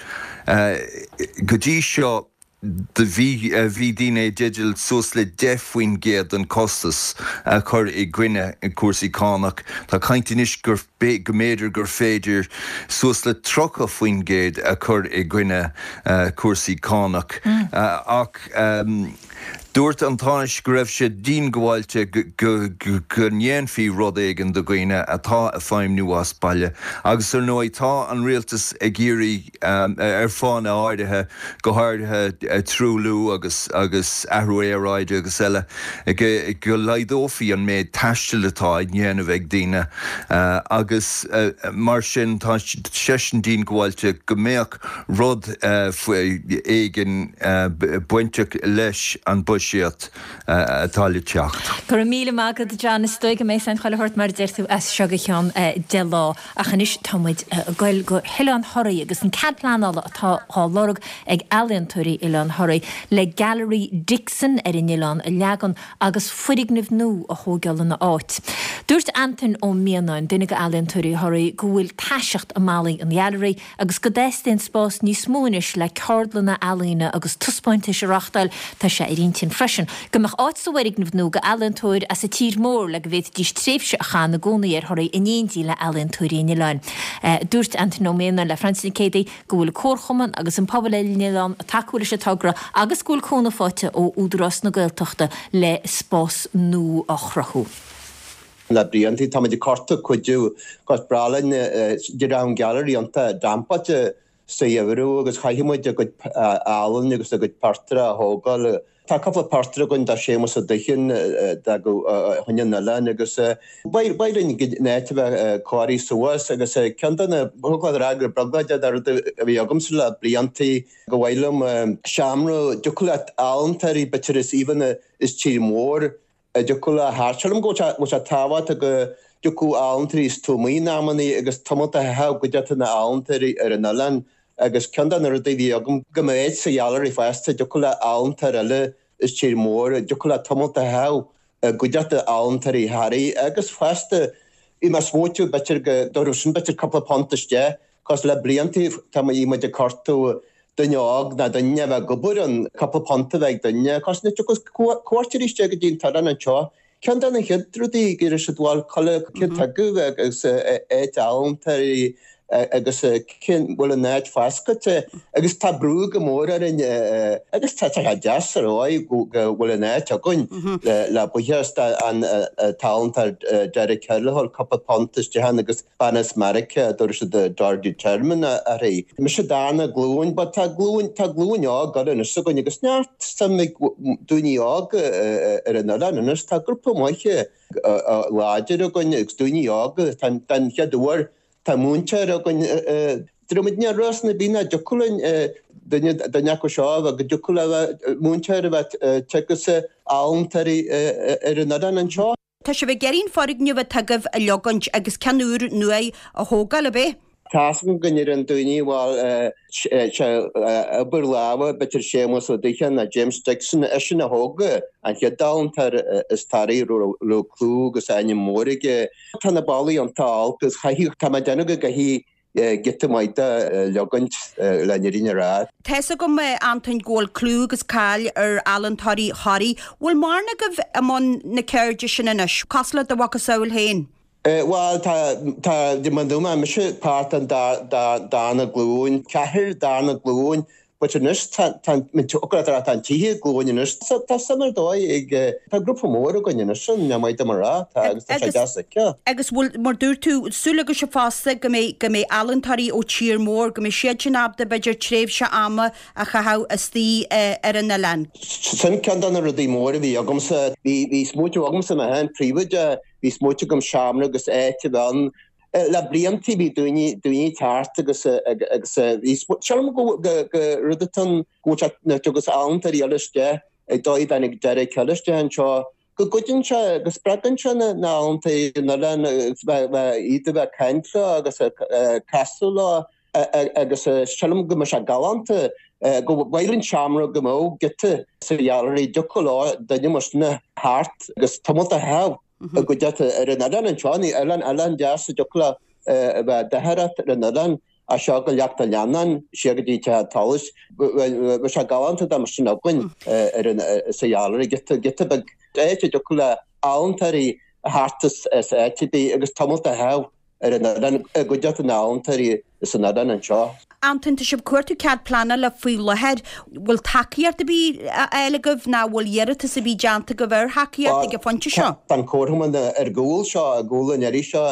go dtí seo bhí bhí daoine i dteideal suas le deich faoin gcéad den chostas a chur i gcoinne cúrsaí cánach. Tá caint anois gur go mb'fhéidir gur féidir suas le tríocha faoin gcéad a chur i gcoinne cúrsaí cánach. Ach dúirt an Tánaiste go raibh sé diongbháilte go ndéanfaí rud éigin do dhaoine atá ag feidhmniú as baile. Agus ar ndóigh tá an rialtas ag iarraidh, ar fáthanna áirithe, go háirithe truailliú agus agus athrú aeráide agus eile, go laghdófaí an méid taistil atá á dhéanamh ag daoine. Agus mar sin tá seisean diongbháilte go mbeadh rud éigin bainteach leis an buiséad atá le teacht. Go raibh míle maith agat, John. Is dóigh go mbeidh san chuile shórt mar a deir tú as seo go ceann deich lá. Ach anois tá muid ag goil go hOileán Thoraí agus an cead pleanála atá á lorg ag ealaíontóirí Oileán Thoraí le Gailearaí Dixon ar an oileán a leagan agus foirgneamh nua a thógáil ina áit. Dúirt Antain Ó Mianáin, duine de ealaíontóirí Thoraí, go bhfuil taiseacht i mballaí an ghailearaí agus go dteastaíonn spás níos mó anois le ceardlanna ealaíne agus taispeántais a reáchtáil. Tá sé ar intinn freisin go mbeadh áit sa bhfoirgneamh nua d'ealaíontóir as an tír mór le go bhféadfaidís tréimhse a chaitheamh ina gcónaí ar Thoraigh in éindí le healaíontóirí an oileáin. Dúirt Antain Ó Mianáin le Francie Nic Géadaigh go bhfuil comharchumann agus an pobal ar an oileán ag tacú leis an togra agus go bhfuil cúnamh faighte ó Údarás na Gaeltachta le spás nua a chruthú. Le blianta táimid ag cuartú cuidiú 'cos breá linn de an gallery iontach dampáilte sa gheimhreadh agus chaithfidh muid a gcuid ealaín agus a gcuid portráid a thógáil. Tá cúpla portráid againn de Séamus Ó Duichinn d'fhágadh chun an oileáin agus ba mhaith linn an áit a bheith cóirithe suas agus ceann de na thug rá gur brioglóid de rud a bhí agamsa le blianta go mhaith liom seomra dtiocfadh leat ealaíontóirí b'fhéidir as aoibheanna is tír mór a dtiocfadh le thart. Sílim go bhfuil sé tábhachtach go dtiocfadh ealaíontóirí is tuamaí in amannaí agus tamall a chaitheamh i gcuideachta na n-ealaíontóirí ar an oileán agus ceann de na rudaí a bhí agam go mbeadh áit sa ghailearaí fosta dtiocfadh le ealaíontóir eile is tír mór dtiocfadh le tamall a chaitheamh i gcuideachta ealaíontóirí Thoraí agus fosta bhí mé ag smaoitiú b'fhéidir go dtabharfadh sin b'fhéidir cúpla punt isteach 'cos le blianta tá muid ag cuartú duine óg ná duine a bheith ag obair ann cúpla punt a bheith ag duine 'cos nuair a thiocfas cuairteoirí isteach go dtí an t-oileán anseo Ceann de na chéad rudaí go raibh siad bhuel cad cén tuige agus áit ealaíontóirí agus cén bhfuil an áit foscailte agus tá brú go mór orainn agus tá sé deas ar ndóigh go bhfuil an áit againn le buíochas an t-ealaíontóir Derek Kelly cúpla punt isteach ann agus bean as Meiriceá a dtabharfaidh siad Dorothy Turman uirthi. Mise darna glúin but tá glúin tá glúin óg anois againn agus neart suim ag daoine óga ar an oileán anois. Tá grúpa maith láidir againn agus daoine óga den chéad uair tá múinteoir againn Dromid ní ros na bína dtiocfadh linn duine duine acu seo a bheith go dtiocfadh le bheith múinteoir a bheith teagasc ealaíontóirí ar an oileán anseo. Tá sibh ag iarraidh an foirgneamh atá agaibh a leogaint agus ceann úr nua a thógáil, ab é? Tá's agam go ndeireann daoine, bhuel, sé obair láimhe, b'fhéidir Séamus Ó Duicheann nó James Dixon, eisean a thóg an chéad ealaíontóir as Toraigh, raibh clú agus ainm mór aige. Tá na ballaí iontach olc agus chaithfeadh, tá mé ag déanamh go gcaithfidh giota maith de a leogaint le an fhírinne a rá. Tá's agam, a Antoin, go bhfuil clú agus cáil ar ealaíontóirí Thoraí. Bhfuil mórán agaibh i mbun na ceirde sin anois, cosúil le do mhacasamhail féin? Bhuel, tá, tá, mar a dúirt mé, mise páirt den darna glúin, ceathrar darna glúin But anois tá tá tá an tríú glúin anois tá suim ar dóigh ag tá grúpa mór againn anois sin ní maith dom a rá tá agus tá sé deas aici. Agus bhfuil mar dúirt tú súil agaibhse fosta go mbeidh go mbeidh ealaíontóirí ó tír mór go mbeidh siad sin ábalta b'fhéidir tréimhse ama a chaitheamh istigh ar an oileán. Sin ceann de na rudaí móra a bhí agamsa. Bhí bhí smaoitiú agamsa mé féin príobháideach bhí smaoitiú agam seomra agus áit a bheith ann Le blianta bhí daoine daoine ag teacht agus agus bhí sílim go go go rud atá ann go bhfuil sé nuair a thiocfas ealaíontóirí eile isteach ag dóigh dtáinig Derek Hill isteach anseo go gcuidíonn sé go spreagann sé na na healaíontóirí an oileáin agus bheith bheith iad a bheith ag caint leo agus ag casadh leo agus sílim go mbeadh sé galánta go mhaith linn seomra go mbeadh giota sa ghailearaí dtiocfadh leo duine mar sin a theacht agus tamall a chaitheamh i gcuideachta ar an oileán anseo, ní oileán oileán deas a dtiocfadh le a bheith d'oidhreacht ar an oileán as seo go Leacht an Leannáin siar go dtí Teach an tSolais. Bheadh sé galánta dá mbeadh sin againn ar an sa ghailearaí, giota giota beag áit a dtiocfadh le ealaíontóirí a theacht as áit ar bith agus tamall a chaitheamh ar an oileán i gcuideachta na n-ealaíontóirí san oileán anseo. Antoin, tá sibh ag cuartú cead pleanála faoi láthair. Bhfuil tacaíocht ar bith á fháil agaibh nó bhfuil iarratas ar bith déanta agaibh ar thacaíocht ag an phointe seo? Tá an Comharchumann ar gcúl seo, i gcúl an iarraidh seo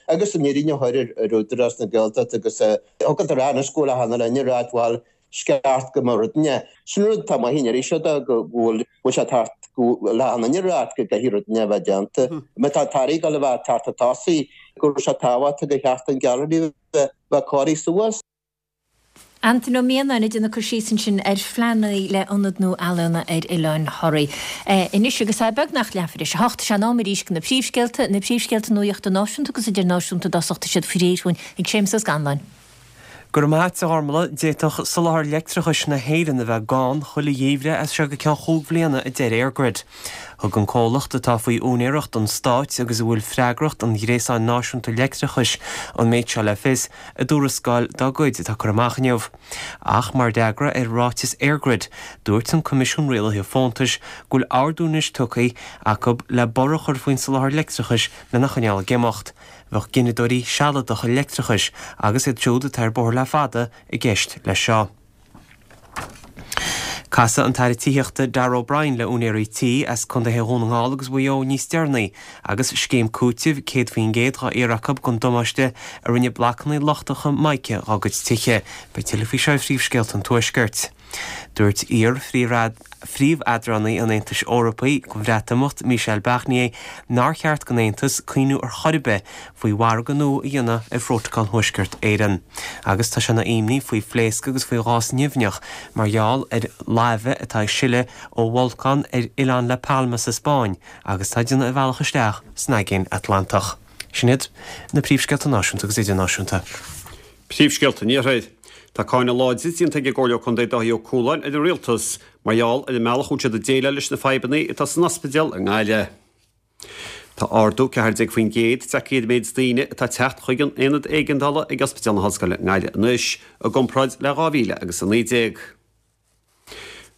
agus an fhírinne a chur ar Údarás na Gaeltachta agus thug an rá anois go bhfuil achan duine ag ráit bhuel is ceart go mbeadh rud inteacht. Sin rud atá maith an iarraidh seo de go bhfuil bhfuil sé thart go bhfuil achan duine ag ráit go gcaithfidh rud inteacht a bheith déanta. Má tá an tAire ag dul a bheith ag teacht chun tosaigh go raibh sé tábhachtach gur cheart an Gailearaí a bheith cóirithe suas. Antaine Ó Mianáin ag déanamh cur síos ansin ar phleananna le ionad nua ealaíona ar Oileán Thoraí. Anois agus é beagnach leathuair tar éis a hocht, is é an am arís do na príomhscéalta, na príomhscéalta nuachta náisiúnta agus idirnáisiúnta i dtosach, tá siad faoi réir dúinn ag Séamus Ó Scanláin. Go raibh maith agat, a Ghormlaith. D'fhéadfadh soláthar leictreachais na hÉireann a bheith gann chuile gheimhreadh as seo go ceann chúig bhliana, a deir EirGrid. Thug an comhlacht atá faoi úinéireacht an stáit agus a bhfuil freagracht an ghréasáin náisiúnta leictreachais an méid seo le fios i dtuarascáil dá gcuid atá curtha amach inniu. Ach mar fhreagra ar ráiteas EirGrid, dúirt an Coimisiún Rialaithe Fóntais go bhfuil ordú anois tugtha acu le borradh a chur faoin soláthar leictreachais lena choinneáil ag imeacht. Bheadh gineadóirí sealadacha leictreachais agus iad siúd atá ar bóthar le fada i gceist leis seo. Casfaidh an tAire Tithíochta Darragh O'Brien le úinéirí tí as Contaetha Dhún na nGall agus Mhaigh Eo níos deireanaí agus scéim cúitimh céad faoin gcéad dhá iarraidh acu don damáiste a rinne blocanna lochtacha mica dhá gcuid tithe. Beidh tuilleadh faoi seo i phríomhscéalta an Tuaiscirt. Dúirt iar-phríomheadránaí an Aontais Eorpaigh don Bhreatimeacht, Michel Barnier, nár cheart don Aontas cuimhniú ar chor ar bith faoi mhargadh nua a dhéanamh ar Phrótacal Thuaisceart Éireann. Agus tá sé ina imní faoi phléascadh agus faoi ghás nimhneach mar gheall ar laibhe atá ag sileadh ó bholcán ar oileán La Palma sa Spáinn agus tá ag déanamh a bhealach isteach san Aigéan Atlantach. Sin iad na príomhscéalta náisiúnta agus idirnáisiúnta. Príomhscéalta an Iarthair. Tá cáineadh láidir déanta ag an gComhairleoir Contae Dáithí Ó Cualáin ar an Rialtas mar gheall ar an mbealach a bhfuil siad ag déileáil leis na fadhbanna atá san ospidéal i nGaillimh. Tá ardú ceathair déag faoin gcéad tagtha ar an méid daoine atá ag teacht chuig an Aonad Éigeandála ag Ospidéal na hOllscoile i nGaillimh anois i gcomparáid le dhá mhíle agus a naoi déag.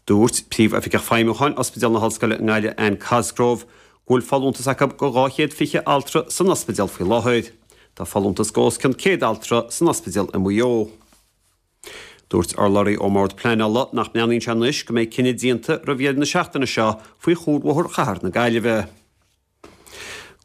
Dúirt Príomhoifigeach Feidhmiúcháin Ospidéal na hOllscoile i nGaillimh Anne Cosgrove go bhfuil folúntas acu go dhá chéad fiche altra san ospidéal faoi láthair. Tá folúntas go os cionn céad altra san ospidéal i Maigh Eo. Dúirt urlabhraí ón mBord Pleanála nach mbreathnaíonn sé anois go mbeidh cinneadh déanta roimh dheireadh na seachtaine seo faoi chuarbhóthar chathair na Gaillimhe.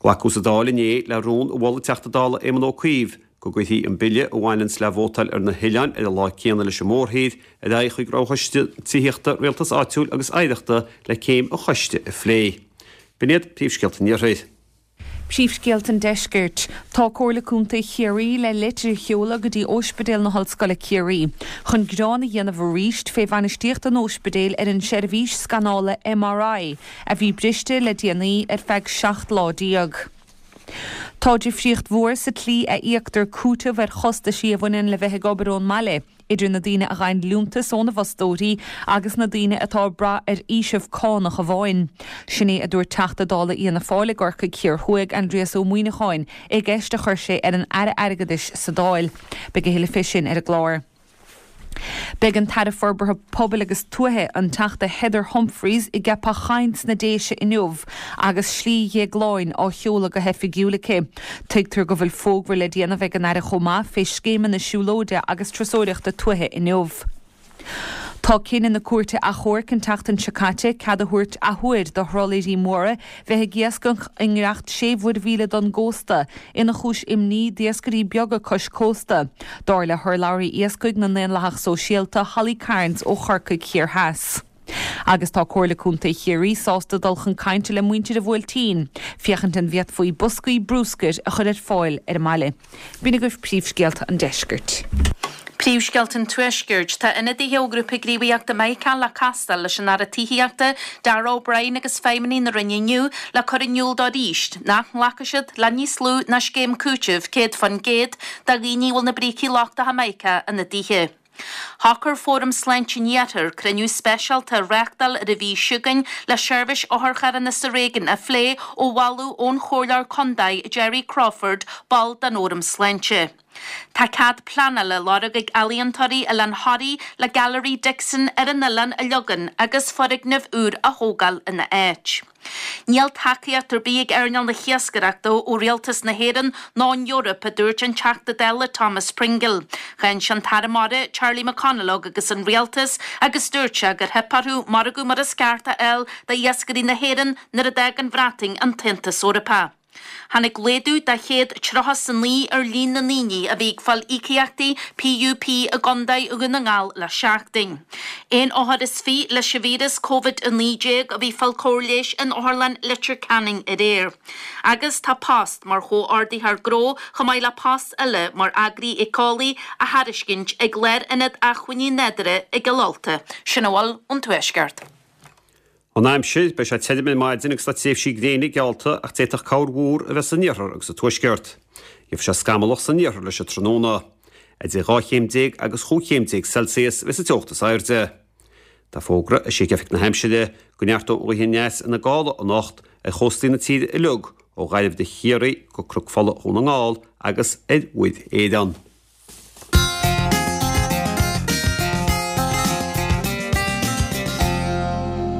Glacadh sa Dáil inné le rún a mhol an Teachta Dála Éamon Ó Cuív go gcuirfí an bille a bhaineanns le vótáil ar na hoileáin ar an lá céanna leis an mórthír ar aghaidh chuig Roghchoiste Tithíochta, Rialtais Áitiúil agus Oidhreachta le céim an choiste a phlé. B'in iad príomhscéalta an Iarthair. Príomhscéalta an Deiscirt. Tá Comhairle Contae Chiarraí le litir a sheoladh go dtí Óispidéal na hOllscoile Ciarraí chun gearán a dhéanamh arís fé bhainistíocht an óispidéil ar an seirbhís scanála M R I a bhí briste le déanaí ar feadh seacht lá déag. Tá difríocht mhór sa tslí a íoctar cúiteamh ar chostaisí a bhaineann le bheith ag obair ón mbaile idir na daoine a ghaibheann liúntas óna bhfostóirí agus na daoine atá ag brath ar fhaoiseamh cánach amháin. Sin é a dúirt Teachta Dála Fhianna Fáil i gCorcaigh Thiar Thuaidh, Aindrias Ó Muimhneacháin, i gceist a chuir sé ar an Aire Airgeadais sa Dáil. Beidh a thuilleadh fé sin ar an gclár. Beidh an tAire Forbartha Pobail agus Tuaithe, an Teachta Heather Humphreys, i gCeapach Choinn sna Déise inniu agus Slí Dhéagláin á sheoladh go hoifigiúil aici. Tuigtear go bhfuil fógra le déanamh ag an Aire chomh maith fé scéimeanna siúlóide agus turasóireachta tuaithe inniu. Tá cinneadh na Cúirte Achomhairc an tseachtain seo caite cead a thabhairt athuair do throllaeirí móra bheith ag iascach i ngiorracht sé mhuirmhíle don gcósta ina chúis imní d'iascairí beaga cois cósta, dar le hurlabhraí iascaigh na nDaonlathach Sóisialta, Holly Cairns ó Chorcaigh Thiar Theas. Agus tá Comhairle Contae Chiarraí sásta dul chun cainte le muintir an Bhuailtín, féachaint an bhféadfaí boscaí brúscair a chur ar fáil ar an mbaile. B'in agaibh príomhscéalta an deiscirt. Príomhscéalta an Tuaiscirt. Tá ionadaithe ó Ghrúpa Gníomhaíochta Mica le castáil leis an Aire Tithíochta, Darragh O'Brien agus feidhmeannaigh na Roinne inniu le cur in iúl dó arís nach nglacfaidh siad le níos lú ná scéim cúitimh céad faoin gcéad do dhaoine a bhfuil na brící lochtacha mica ina dtithe. Shocair Fóram Sláinte an Iarthair cruinniú speisialta a reáchtáil ar an mhí seo chugainn le seirbhís otharcharranna sa réigiún a phlé ó mholadh ón Chomhairleoir Contae Gerry Crawford, ball den Fhóram Sláinte. Tá cead pleanála á lorg ag ealaíontóirí Oileán Thoraí le Gailearaí Dixon ar an oileán a leagan agus foirgneamh úr a thógáil ina áit. Níl tacaíocht ar bith ag earnáil na hiascaireachta ó Rialtas na hÉireann ná an Eoraip, a dúirt an Teachta Dála Thomas Pringle. Cháin sé an tAire Mara, Charlie McConalogue agus an Rialtas agus dúirt sé gur theip orthu margadh mar is ceart a fháil d'iascairí na hÉireann nuair a d'fhág an Bhreatain an tAontas Eorpach. Tháinig laghdú de chéad tríocha is a naoi ar líon na ndaoine a bhí ag fáil íocaíochtaí PUP i gContae Dhún na nGall le seachtain. Aon othar is fiche leis an víreas Covid a naoi déag a bhí ag fáil cóir leighis in Otharlann Leitir Ceanainn aréir. Agus tá post mar chomhordaitheoir gnó chomh maith le post eile mar eagraí éiceolaí á thairiscint ag Lárionad Acmhainní Nádúrtha i gCill Ulta. Sin a bhfuil ón Tuaisceart. An aimsir, beidh sé tirim ar maidin agus tá tréimhsí gréine geallta ach d'fhéadfadh corrmhúr a bheith san iarthar agus sa tuaisceart. Gheobhaidh sé scamallach san iarthar leis an tráthnóna. Idir dhá chéim déag agus chúig chéim déag Celsius a bheas an teocht is airde. Tá fógra eisithe ag Oifig na hAimsire go neartóidh an ghaoth aneas ina gála anocht ar chóstaí na tíre uilig ó Ghaillimh go Ciarraí go Cnoc Fola Dhún na nGall agus ar Mhuir Éireann.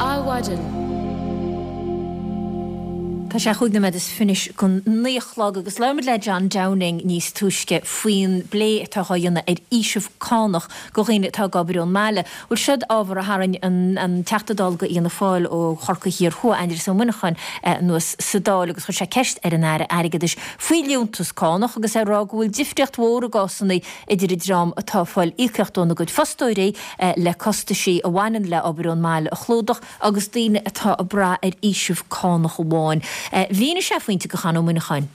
Adhmhaidin. Tá sé chúig nóiméad is fiche chun naoi a chlog agus labhair muid le John Downing níos túisce faoin bplé atá á dhéanamh ar fhaoiseamh cánach do dhaoine atá ag obair ón mbaile. Bhuel siod ábhar a tharraing an, an Teachta Dála do Fhianna Fáil ó Chorcaigh Thiar Thuaidh, Aindrias Ó Muineacháin, anuas sa Dáil agus chuir sé ceist ar an Aire Airgeadais faoi liúntas cánach agus é ag rá go bhfuil difríocht mhór i gcásanna idir an dream atá ag fáil íocaíocht óna gcuid fostóirí le costaisí a bhaineann le obair ón mbaile a chlúdach agus daoine atá ag brath ar fhaoiseamh cánach amháin. Mhínigh sé pointe do Chonn Ó Muineacháin.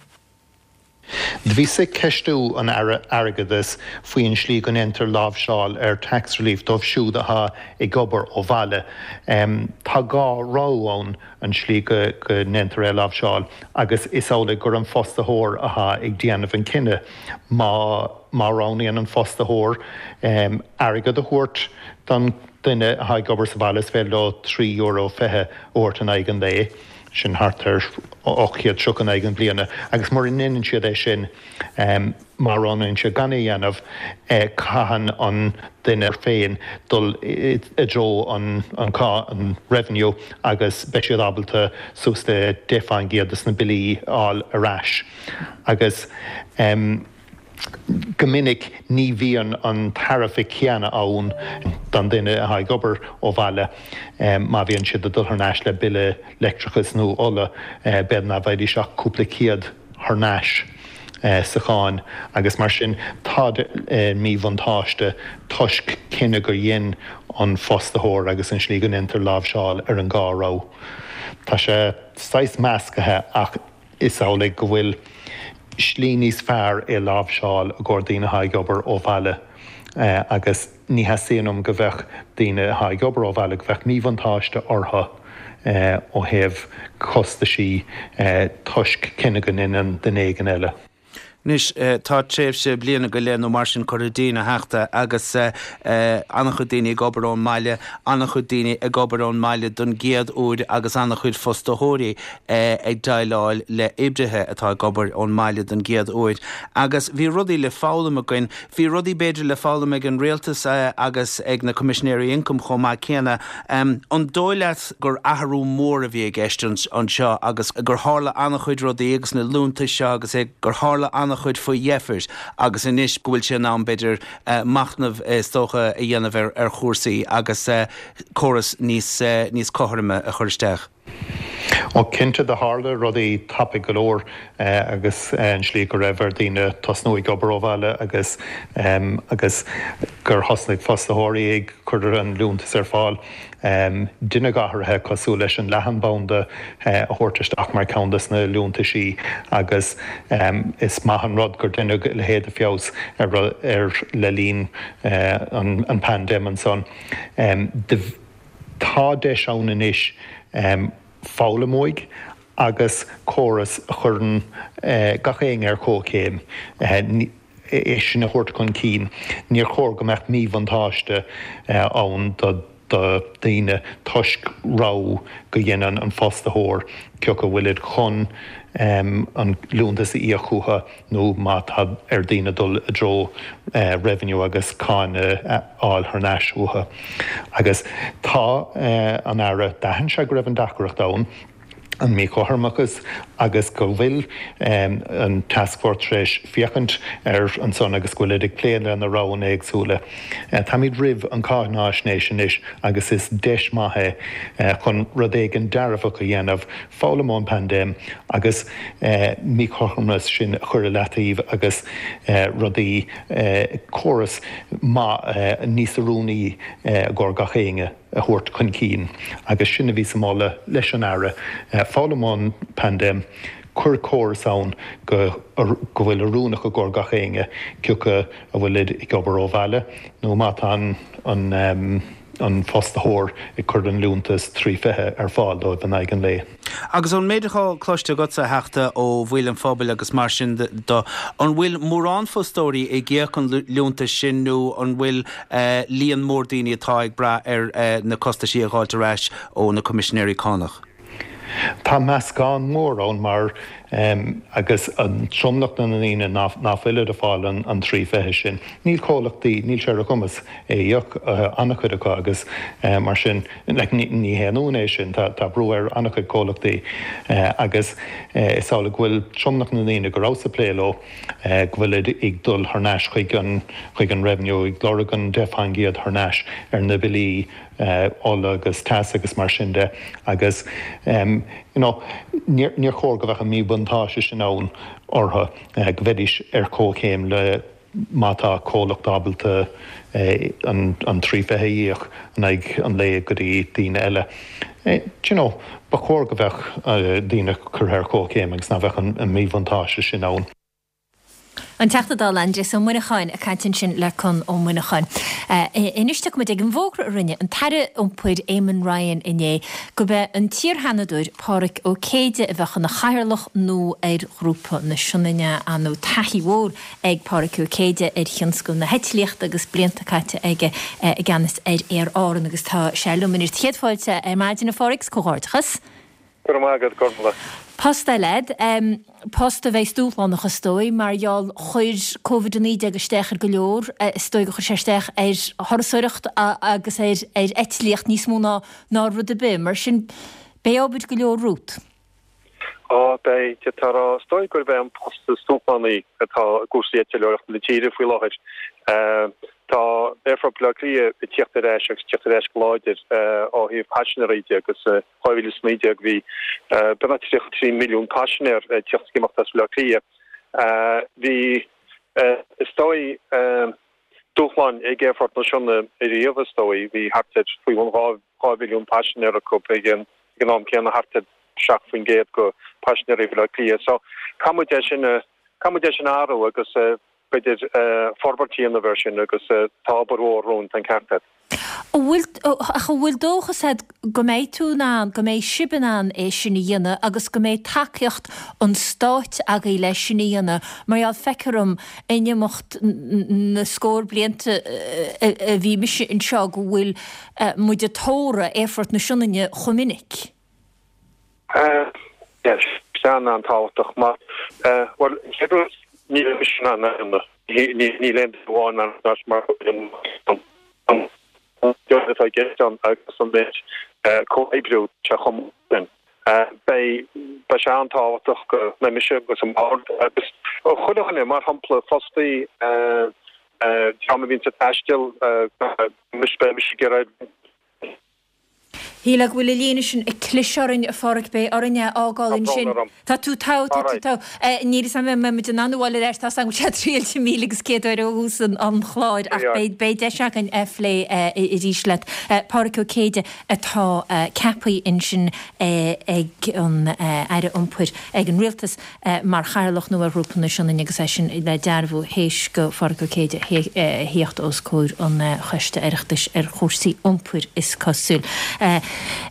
Do bhíos ag ceistiú an Aire Airgeadais faoin slí go ndéantar láimhseáil ar tax relief dóibh siúd atá ag obair ó bhaile. Tá dhá rogha ann an slí go ndéantar é a láimhseáil agus is amhlaidh gur an fostaitheoir atá ag déanamh an cinneadh. Má má roghnaíonn an fostaitheoir airgead a thabhairt don duine atá ag obair sa bhaile is féidir leo trí euro fiche a thabhairt in aghaidh an lae. sin thart ar ocht chéad tríocha in aghaidh an bhliana, agus mura ndéanann siad é sin, má roghnaíonn siad gan é a dhéanamh, caitheann an duine féin dul i dtreo an an Revenue agus beidh siad ábalta suas le deich faoin gcéad de na billí a fháil ar ais. Agus. Go minic ní bhíonn an tairbhe céanna ann don duine atá ag obair ó bhaile. Má bhíonn siad ag dul thar n-ais le bille leictreachais nó ola, b'fhéidir nach bhfaighidís ach cúpla céad thar n-ais sa cháin agus mar sin táid i míbhuntáiste toisc cinneadh gur dhein an fostaitheoir agus an slí go ndéantar láimhseáil ar an dhá rogha. Tá sé saghas meascaithe ach is amhlaidh go bhfuil slí níos fearr é láimhseáil i gcomhair daoine atá ag obair ó bhaile agus ní theastaíonn uaim go bheadh daoine atá ag obair ó bhaile, go bheadh míbhuntáiste orthu ó thaobh costaisí toisc cinneadh go ndeineann duine éigin eile. Anois, tá tréimhse bliana go leith nó mar sin curtha dínn, a Theachta, agus an-chuid daoine ag obair ón mbaile, an-chuid daoine ag obair ón mbaile don gcéad uair agus an-chuid fostaitheoirí ag déileáil le oibrithe atá ag obair ón mbaile don gcéad uair. Agus bhí rudaí le foghlaim againn. Bhí rudaí b'fhéidir le foghlaim ag an rialtas agus ag na Coimisinéirí Ioncaim chomh maith céanna. An dóigh leat gur athrú mór a bhí i gceist anseo agus gur tharla an-chuid rudaí agus na liúntais seo agus é gur tharla an-chuid faoi dheifir agus anois go bhfuil sé in am, b'fhéidir, machnamh is dócha a dhéanamh ar chúrsaí agus córas níos níos cothroime a chur isteach. Ó cinnte do tharla rudaí tapaidh go leor agus an slí go raibh ar daoine tosnú ag obair ó bhaile agus agus gur thosnaigh fostaitheoirí ag cur an liúntas ar fáil. Deineadh athruithe cosúil leis an leathanbhanda a thabhairt isteach mar ceann des na liúntaisí agus is maith an rud gur deineadh a leithéid de feabhas ar le linn an paindéim ansan. Tá deis ann anois foghlaim uaidh agus córas a chuireann gach éinne ar comhchéim. É sin a thabhairt chun cinn. Níor chóir go mbeadh míbhuntáiste ann do dhaoine toisc rogha go dhéanann an fostaitheoir cé acu bhfuilid chun an liúntas a íoc chucu nó má tá ar daoine dul i dtreo Revenue agus cáin a fháil thar n-ais uathu. Agus tá an Aire, d'aithin sé go raibh an deacracht ann. an míchothromachas agus go bhfuil an taskforce tar éis féachaint air ansan agus go bhfuilid ag plé le na roghanna éagsúla. Táimid roimh an cáináisnéis anois agus is deis maith é chun rud éigin dearfach a dhéanamh, foghlaim ón bpaindéim agus míchothromas sin a chur i leataobh agus rudaí, córas maith níos oiriúnaí i gcomhair gach éinne. a thabhairt chun cinn agus sin a bhí sa mholadh leis an Aire, foghlaim ón bpaindéim, cuir córas ann go go bhfuil oiriúnach i gcomhair gach éinne, cé acu a bhfuilid ag obair ó bhaile nó má tá an an fostaitheoir ag cur an liúntas trí fiche ar fáil dóibh in aghaidh an lae. Agus ón méid atá cloiste agatsa, a Theachta, ó bhaill an phobail agus mar sin de, an bhfuil mórán fostóirí ag íoc an liúntais sin nó an bhfuil líon mór daoine atá ag brath ar na costaisí a dh'fháilt ar ais ó na Coimisinéirí Cánach? Tá meascán mór ann mar agus an tromlach de na ndaoine ná fuilid ag fáil an trí fiche sin, níl comhlachtaí, níl sé ar a gcumas é a íoc, an-chuid acu agus mar sin, like, ní haon ionadh é sin, tá brú ar an-chuid comhlachtaí agus is amhlaidh go bhfuil tromlach na ndaoine go rabhas ag plé leo, go bhfuilid ag dul thar n-ais chuig an, chuig an Revenue, ag lorg an deich faoin gcéad thar n-ais ar na billí ola agus teas agus mar sin de agus you know níor chóir go bheadh an míbhuntáiste sin ann orthu, go mbeidís ar comhchéim le má tá comhlacht ábalta an trí fiche a íoc in aghaidh an lae go dtí daoine eile. Do you know, ba chóir go bheadh daoine curtha ar comhchéim agus ná bheadh an míbhuntáiste sin ann. An Teachta Dála Aindrias Ó Muineacháin ag caint ansin le Conn Ó Muineacháin. Anois tiocfaimid ag an bhfógra a rinne an tAire Iompair Eamon Ryan inné gurb é an t-iar-Sheanadóir Pádraig Ó Céide a bheadh ina chathaoirleach nua ar Ghrúpa na Sionainne. Ar ndóigh taithí mhór ag Pádraig Ó Céide ar thionscal na heitlíochta agus blianta caite aige i gceannas ar Aer Árann agus tá sé liom anois. Céad fáilte ar maidin a Phádraig 's comhghairdeachas. Go raibh maith agat, Gormlaith. Post eile agat, post a bheidh dúshlánach is dóigh, mar gheall chuir Covid a naoi déag isteach ar go leor, is dóigh gur chuir sé isteach ar thurasóireacht agus ar ar eitlíocht níos mó ná ná rud ar bith. Mar sin, beidh obair go leor romhat. Á, beidh, d'fhéadfá a rá. Is dóigh gurb é an post is dúshlánaí atá i gcúrsaí eitleoireachta na tíre faoi láthair. Tá Aerfort Bhaile Átha Cliath ag tíocht ar ais agus ag tíocht ar ais go láidir ó thaobh paisinéirí de agus dhá mhíle is naoi déag bhí beagnach tríocha trí milliún paisinéir ag tíocht is ag imeacht as Baile Átha Cliath. Bhí, is dóigh, dúshláin ag Aerfort na Sionainne ariamh is dóigh. Bhí thart ar faoi bhun dhá mhilliún paisinéir acu ag an am céanna, thart ar seacht faoin gcéad de phaisinéirí Bhaile Átha Cliath. So caithfidh muid é sin a, caithfidh muid é sin a athrú agus b'fhéidir forbairt a dhéanamh air sin agus tá obair mhór romhainn, tá an ceart agat. An bhfuil, ach an bhfuil dóchas agat go mbeidh tú in ann, go mbeidh sibh in ann é sin a dhéanamh agus go mbeidh tacaíocht an stáit agaibh leis sin a dhéanamh mar gheall feictear dom in imeacht na scór blianta a bhí mise anseo go bhfuil muid ag tórramh Aerfort na Sionainne chomh minic. Yes, sin an-tábhachtach mar, bhuel, an chéad rud, níl mise in ann é a dhéanamh. Níl aon duine amháin in ann é mar an méid atá i gceist ann agus an méid comhoibriú sé chomh maith sin. Beidh, beidh sé an-tábhachtach go mbeidh mise agus an bord agus chuile dhuine, mar shampla, fostaí, dream a bhíonns ag taisteal, beidh mise ag iarraidh Shílfeá go bhfuil an líne sin ag cliseadh orainn, a Pháraic, beidh orainn é a fhágáil Tá brón ansin. orm. Tá tú togha, tá All tú right. togha. Níl 'fhios a'm an mbeidh muid in ann a fháil ar ais, tá 'fhios a'm go bhfuil sé triailte míle agus céad uair ó thús an chláir ach Yeah. beidh, beidh deis againn é a phlé arís leat. Páraic Ó Céide atá ceaptha ansin ag an Aire Iompair, ag an Rialtas, mar Chathaoirleach nua ar Ghrúpa na Sionainne agus é sin le dearbhú théis do Pháraic Ó Céide theacht os comhair an Choiste Oireachtais ar chúrsaí iompair is cosúil.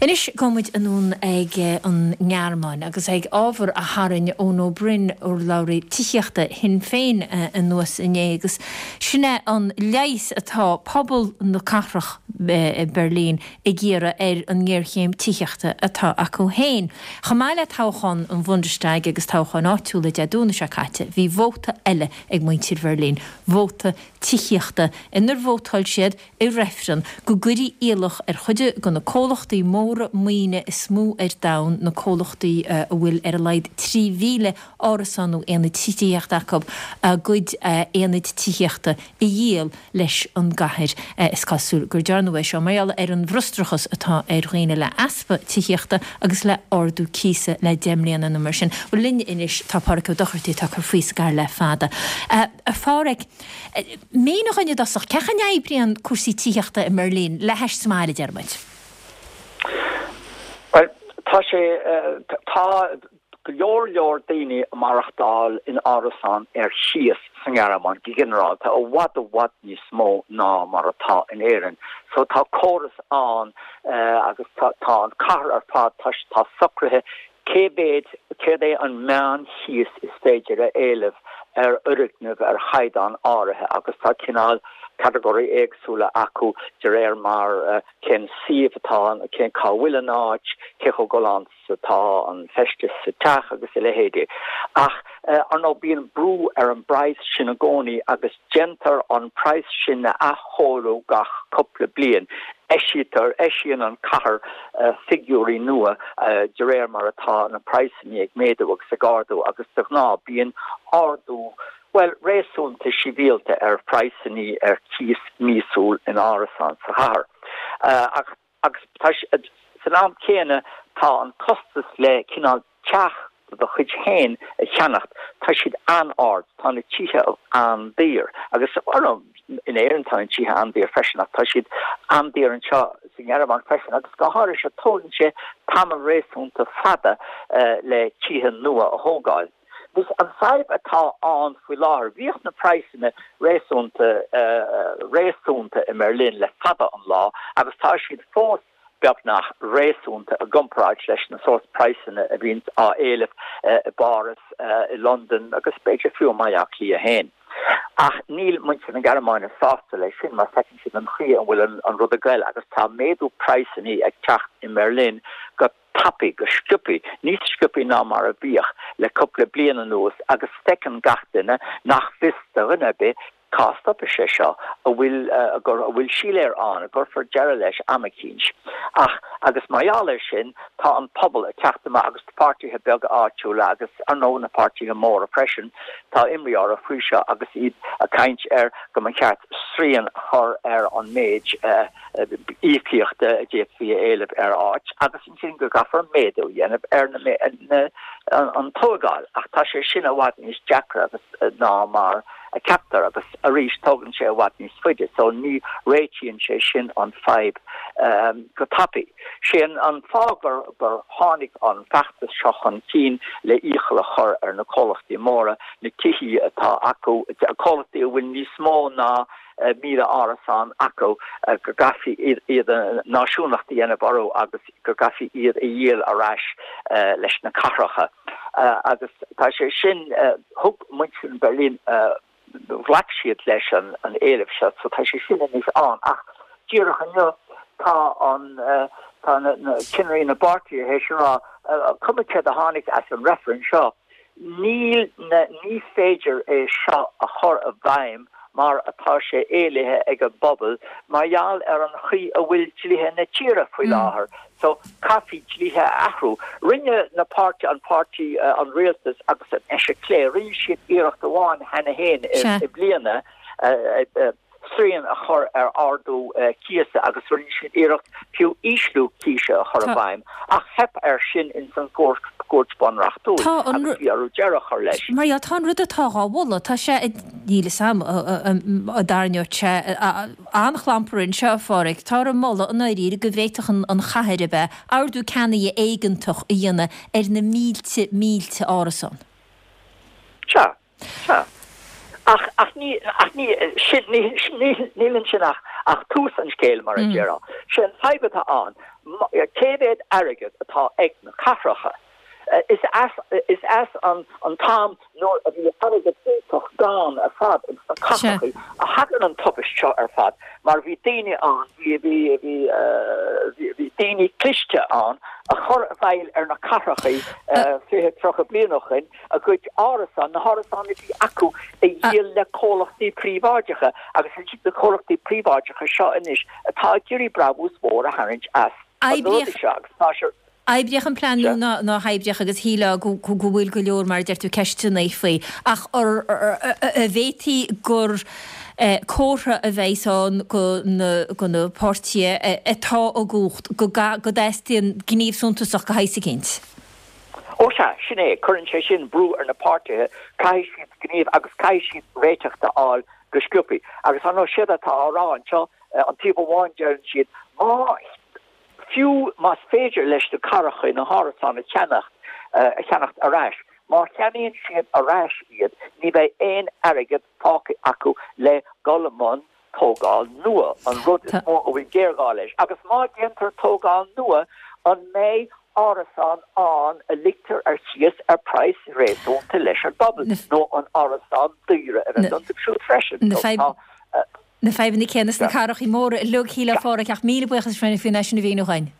Anois gabhfaidh muid anonn ag an nGearmáin agus ag ábhar a tharraing Eoin Ó Broin, urlabhraí tithíochta Shinn Féin anuas inné agus sin é an leigheas atá pobal na cathrach Berlin ag iarraidh ar an ngéarchéim tithíochta atá acu féin. Chomh maith le toghchán an Bhundestag agus toghcháin áitiúla Dé Domhnaigh seo caite, bhí vóta eile ag muintir Bheirlín, vóta tithíochta, inar vótáil siad i reifreann go gcuirfí iallach ar chuid de na comhlachtaí comhlachtaí móra maoine is mó ar domhan, na comhlachtaí a bhfuil ar a laghad trí mhíle árasán nó aonad tithíochta acu, a gcuid aonad tithíochta a dhíol leis an gcathair. Is cosúil gur dearnadh é seo mar gheall ar an bhfrustrachas atá ar dhaoine le easpa tithíochta agus le ardú cíosa le deich mbliana nó mar sin. Bhuel linn anois tá Páraic Ó Dochartaigh atá ag cur faoi sa gcathair le fada. A Pháraic, mínigh dhúinn i dtosach, cén chaoi a n-oibríonn cúrsaí tithíochta i mBeirlín le hais sa mbaile, deir muid? Bhuel, tá sé, tá go leor leor daoine ag maireachtáil in árasán ar chíos sa nGearmáin go ginearálta, i bhfad i bhfad níos mó ná mar atá in Éirinn. So tá córas ann agus tá an cathair ar fad, tá tá socraithe cé mhéad, céard é an meán-chíos is féidir a éileamh ar fhoirgneamh ar chaighdeán áirithe agus tá cineál catagóirí éagsúla acu de réir mar cén suíomh atá ann, cén cá bhfuil an áit, cé chomh galánta is atá an feisteas sa teach agus a leithéidí. Ach ar ndóigh bíonn brú ar an bpraghas sin i gcónaí agus déantar an praghas sin a athchóiriú gach cúpla bliain. Eisítear, eisíonn an cathair figiúirí nua de réir mar atá na praghsanna ag méadú agus ag ardú agus de ghnáth bíonn ardú, bhuel, réasúnta sibhialta ar phraghsanna ar cíos míosúil in árasáin sa chathair. Ach, agus tá, san am céanna tá an costas le cineál teach do do chuid féin a cheannacht, tá siad an-ard, tá na tithe an-daor agus in Éirinn tá na tithe an-daor freisin ach tá siad an-daor anseo sa nGearmáin freisin agus go háirithe tógann sé tamall réasúnta fada le tithe nua a thógáil. Agus an fadhb atá ann faoi láthair, bhíodh na praghsanna réasúnta réasúnta i mBerlin le fada an lá agus tá siad fós beagnach réasúnta i gcomparáid leis na sórt praghsanna a bhíonns á éileamh i bPáras, i Londain agus b'fhéidir fiú i mBaile Átha Cliath féin. Ach níl muintir na Gearmáine sásta leis sin mar feiceann siad an chaoi a bhfuil an rud ag goil agus tá méadú praghsanna ag teacht i mBerlin go tapaidh, go sciobthaí, níos sciobthaí ná mar a bhíodh le cúpla bliain anuas agus feiceann gach duine nach bhfios do dhuine ar bith Cá stopfaidh sé seo? An bhfuil, an bhfuil siléar ann, an gcuirfear deireadh leis am eicínt? Ach, agus mar gheall air sin, tá an pobal ag teacht amach agus na páirtithe beaga áitiúla agus, ar ndóigh, na páirtithe móra freisin, tá imní orthu faoi seo agus iad ag caint ar go mba cheart srian a chur ar an méid íocaíochta a d'fhéadfaí a éileamh ar áit agus ansin go gcaithfear méadú a dhéanamh ar na, an tógáil. Ach tá sé sin i bhfad níos deacra agus ná mar a ceaptar agus arís tógann sé i bhfad níos faide so ní réitíonn sé sin an fadhb go tapaidh. Sé an fáth gur gur tháinig an feachtas seo chun cinn le iachall a chur ar na comhlachtaí móra na tithí atá acu, comhlachtaí a bhfuil níos mó ná míle árasán acu, go gcaithfí iad a náisiúnacht a dhéanamh orthu agus go gcaithfí iad a dhíol ar ais leis na cathracha. Agus tá sé sin, thug muintir Berlin, ghlac siad leis an éileamh seo, so tá sé sin anois ann. Ach díreach inniu tá an, tá na cinnirí na bpáirtithe théis a rá, cuma céard a tháinig as an reifreann seo, níl na, ní féidir é seo a chur i bhfeidhm mar atá sé éilithe ag an bpobal mar gheall ar an chaoi a bhfuil dlíthe na tíre faoi láthair. So, caithfí dlíthe a athrú. Rinne na páirtí, an páirtí, an rialtas agus an eite chlé, rinne siad iarracht amháin cheana féin i mbliana srian a chur ar ardú cíosa agus rinne siad iarracht fiú ísliú císe a chur i bhfeidhm ach theip air sin ins an gCúirt Bhunreachtúil agus bhí orthu deireadh a chur leis. Mar dhea, tá an rud atá dhá mholadh, tá sé, níl fhios a'm, a dtarraingeodh sé an-chlampar anseo, a Pháraic. Táthar ag moladh i ndáiríre go bhféadfadh an chathair a bheith, ordú ceannaigh éigeantach a dhéanamh ar na mílte, mílte árasán. Sea. Sea. Ach, ach ní, ach ní, sin, ní, ní, níl ansin ach, ach tús an scéil, mar a déarfá. Sé an fadhb atá ann, cé mhéad airgead atá ag na cathracha? Is as, is as an, an t-am nuair a bhí airgead iontach gann ar fad ins na cathracha a thagann an tubaist seo ar fad, mar bhí daoine ann, bhí, bhí, bhí, bhí, bhí daoine cliste ann a chuir i bhfeighil ar na cathracha fiche, tríocha bliain ó shoin, a gcuid árasán, na hárasáin a bhí acu a dhíol le comhlachtaí príobháideacha agus is iad na comhlachtaí príobháideacha seo anois atá ag iarraidh brabús mhór a tharraingt as. An rud seo agus tá sé. Oibreodh an plean nó ná ná hoibreodh agus shílfeá go go bhfuil go leor mar a deir tú ceisteanna faoi ach an bhféadfaí gur comhartha a bheas ann go na go na páirtithe atá i gcumhacht go go dteastaíonn gníomh suntasach de shaghas eicínt. Ó sea, sin é, cuireann sé sin brú ar na páirtithe, caithfidh siad gníomh agus caithfidh siad réiteach a fháil go sciobtha. Agus ar ndóigh séard atá á rá anseo, an taobh amháin deireann siad má Fiú más féidir leis na cathracha na hárasáin a cheannach a cheannacht ar ais, má cheannaíonn siad ar ais iad, ní bheidh aon airgead fágtha acu le dul i mbun tógáil nua, an rud is mó a bhfuil géarghá leis. Agus má déantar tógáil nua, an mbeidh árasáin ann a ligtear ar cíos ar praghas réasúnta leis an bpobal, nó an árasáin daora a bheas iontu siúd freisin? Na fadhbanna céanna sna cathracha móra uilig, shílfeá a Pháraic, ach míle buíochas faoin é sin a mhíniú dhúinn.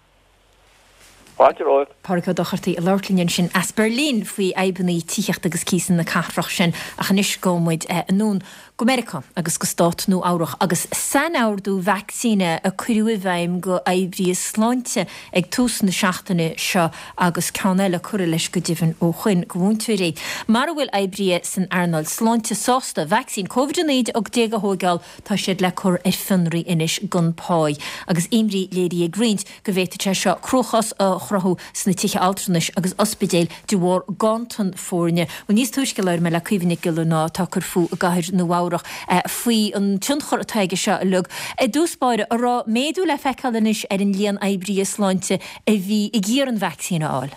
Fáilte romhaibh. Páraic Ó Dochartaigh ag labhairt linn ansin as Berlin faoi fhadhbanna tithíochta agus cíosa na cathrach sin. Ach anois gabhfaidh muid anonn go Meiriceá agus go Stát Nua Eabhrach agus sainordú vacsaíne a cuireadh i bhfeidhm go oibrithe sláinte ag tús na seachtaine seo agus ceann eile curtha leis go deimhin ó shoin go mhúinteoirí. Mara bhfuil oibrithe san earnáil sláinte sásta vacsaín Covid a naoi déag a thóigeáil tá siad le cur ar fionraí anois gan pá agus imní léirithe ag roinnt go bhféadfadh sé seo cruachás a chruthú sna tithe altranais agus ospidéil de bharr ganntan foirne. Bhuel níos túisce labhair mé le Caoimhe Nic Giollarnáth atá ag cur fúithi i gcathair Nua Eabhrach faoi an tionchar atá aige seo uilig. I dtús báire, an raibh méadú le feiceáil anois ar an líon oibrithe sláinte a bhí ag iarraidh an vacsaín a fháil?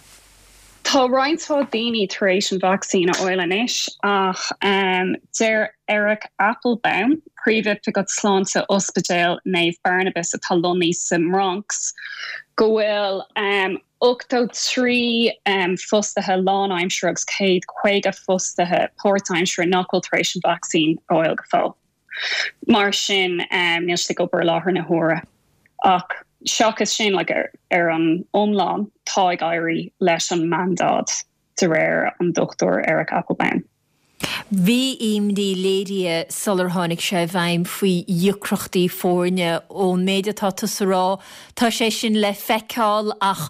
Tá roinnt mhaith daoine tar éis an vacsaín a fháil anois ach deir Eric Applebaum, Príomhoifigeach Sláinte Ospidéal Naomh Barnabas atá lonnaithe sa mBronx, go bhfuil ochtó trí fostaithe lánaimseartha agus céad caoga fostaithe páirtaimseartha nach bhfuil tar éis an vacsaín a fháil go fóill. Mar sin níl siad ag obair i láthair na huaire. Ach seachas sin like, ar, ar an iomlán tá ag éirí leis an mandáid de réir an Dochtúir Eric Applebaum. Bhí imní léirithe sular tháinig sé i bhfeidhm faoi dheacrachtaí foirne. Ón méid atá tusa a rá, tá sé sin le feiceáil ach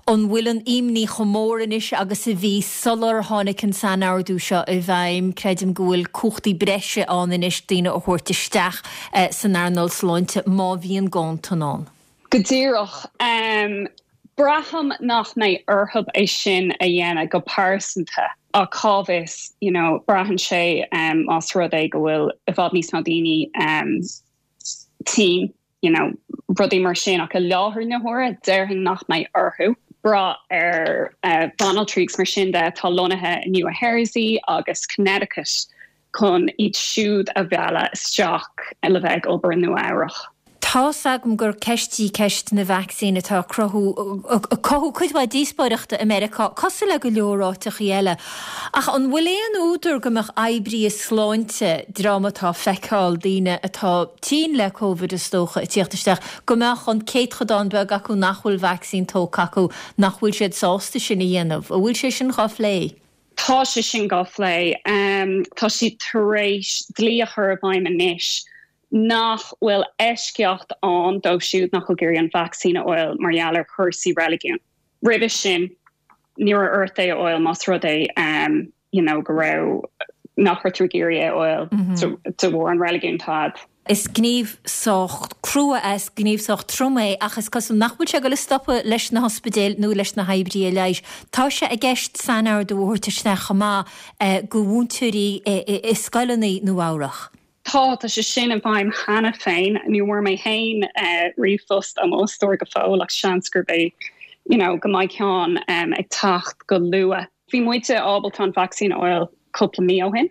an bhfuil an imní chomh mór anois agus a bhí sular tháinig an sainordú seo i bhfeidhm? Creidim go bhfuil cumhachtaí breise ann anois daoine a thabhairt isteach san earnáil sláinte má bhíonn ganntan ann. Go díreach. Braithim nach mbeidh orthu é sin a dhéanamh go pearsanta ach cá bhfios, you know, braitheann sé más rud é go bhfuil i bhfad níos mó daoine tinn, you know, rudaí mar sin ach i láthair na huaire déarfainn nach mbeidh orthu brath ar banaltraí agus mar sin de atá lonnaithe i Nua Jersey agus Connecticut chun iad siúd a mhealladh isteach le bheith ag obair i Nua Eabhrach. Tá's agam gur ceist í ceist na vacsaín atá ag cruthú, ag cothú cuid mhaith díospóireachta i Meiriceá, cosúil le go leor áiteachaí eile. Ach an bhfuil aon údar go mbeadh oibrithe sláinte, dream atá ag feiceáil daoine atá tinn le Covid is dócha, ag tíocht isteach, go mbeadh an céatchodán beag acu nach bhfuil vacsaín tógtha acu, nach bhfuil siad sásta sin a dhéanamh? An bhfuil sé sin dhá phlé? Tá sé sin dhá phlé. Tá siad tar éis dlí a chur i bhfeidhm anois nach bhfuil eisceacht ann dóibh siúd nach bhfuil ag iarraidh an vacsaín a fháil mar gheall ar chúrsaí reiligiúin. Roimhe sin, ní raibh ort é a fháil más rud é you know go raibh nach raibh tú ag iarraidh é a fháil de bharr an reiligiún atá agat. Is gníomh sách crua é, is gníomh sách trom é ach is cosúil nach bhfuil sé ag dul a stopadh leis na hospidéil nó leis na hoibrithe leighis. Tá sé i gceist sainordú a thabhairt isteach chomh maith go mhúinteoirí i scoileanna Nua-Eabhrach. Tá, tá sé sin i bhfeidhm cheana féin. Ní bhfuair mé féin ríomhphost ó m'fhostóir go fóill ach seans gurb é you know go mbeidh ceann ag teacht go luath. Bhí muide ábalta an vacsaín a fháil cúpla mí ó shin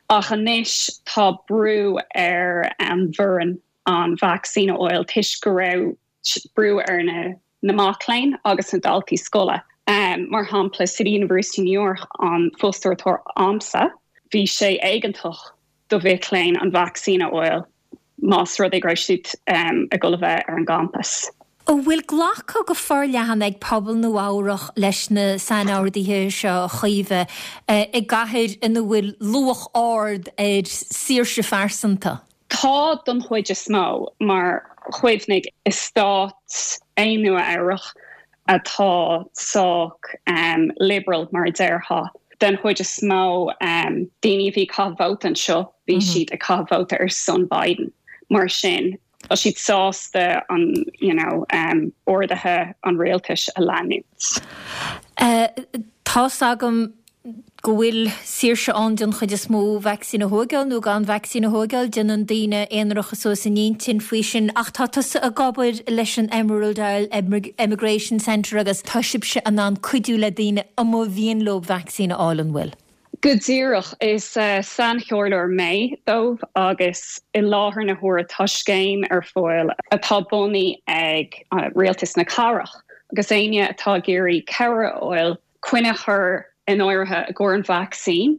ach anois tá brú ar an bhfoireann an vacsaín a fháil toisc go raibh brú ar na na mac léinn agus na daltaí scoile. Mar shampla, City University New York an fostóir atá a'msa, bhí sé éigeantach do mhic léinn an vacsaín a fháil más rud é go raibh siad ag dul a bheith ar an gcampas. An bhfuil glactha go forleathan ag pobal Nua Eabhrach leis na sainorduithe seo, a Chaoimhe, i gcathair ina bhfuil luach ard ar saoirse phearsanta? Tá don chuid is mó, mar Cuimhnigh, is stát é Nua Eabhrach atá sách um, liberal mar a déarfá. Den chuid is mó um, daoine a bhí ag caitheamh vóta anseo, bhí mm -hmm. siad ag caitheamh vóta ar son Biden. Mar sin, tá siad sásta an you know, um, orduithe an rialtais a leanúint. Uh, Tá's agam go bhfuil saoirse ann den chuid is mó vacsaín a thógáil nó gan vacsaín a thógáil, déanann daoine aonaracha suas a n-intinn faoi sin ach tá tusa ag obair leis an Emerald Isle Emigration Centre agus tá sibhse in ann cuidiú le daoine a mba mhian leo vacsaín a fháil an bhfuil? Go díreach is sainchomhairleoir mé dóibh agus i láthair na huaire tá scéim ar fáil atá bunaithe ag rialtas na cathrach agus éinne atá ag iarraidh cabhair a fháil coinne a chur in áirithe i gcomhair an vacsaín,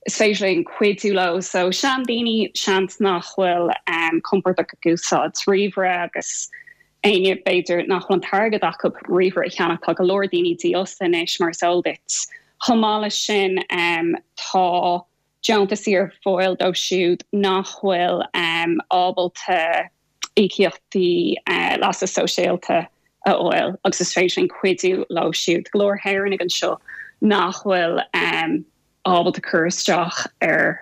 is féidir linn cuidiú leo. So seandaoine seans nach bhfuil um, compordach ag úsáid ríomhaire agus éinne b'fhéidir nach bhfuil an t-airgead acu ríomhaire a cheannach tá go leor daoine dífhostaithe anois mar is eol duit. Chomh maith leis sin um, tá deontaisí ar fáil dóibh siúd nach bhfuil um, ábalta íocaíochtaí leasa sóisialta a fháil agus is féidir linn cuidiú leo siúd. Go leor Éireannaigh anseo nach bhfuil um, ábalta cur isteach ar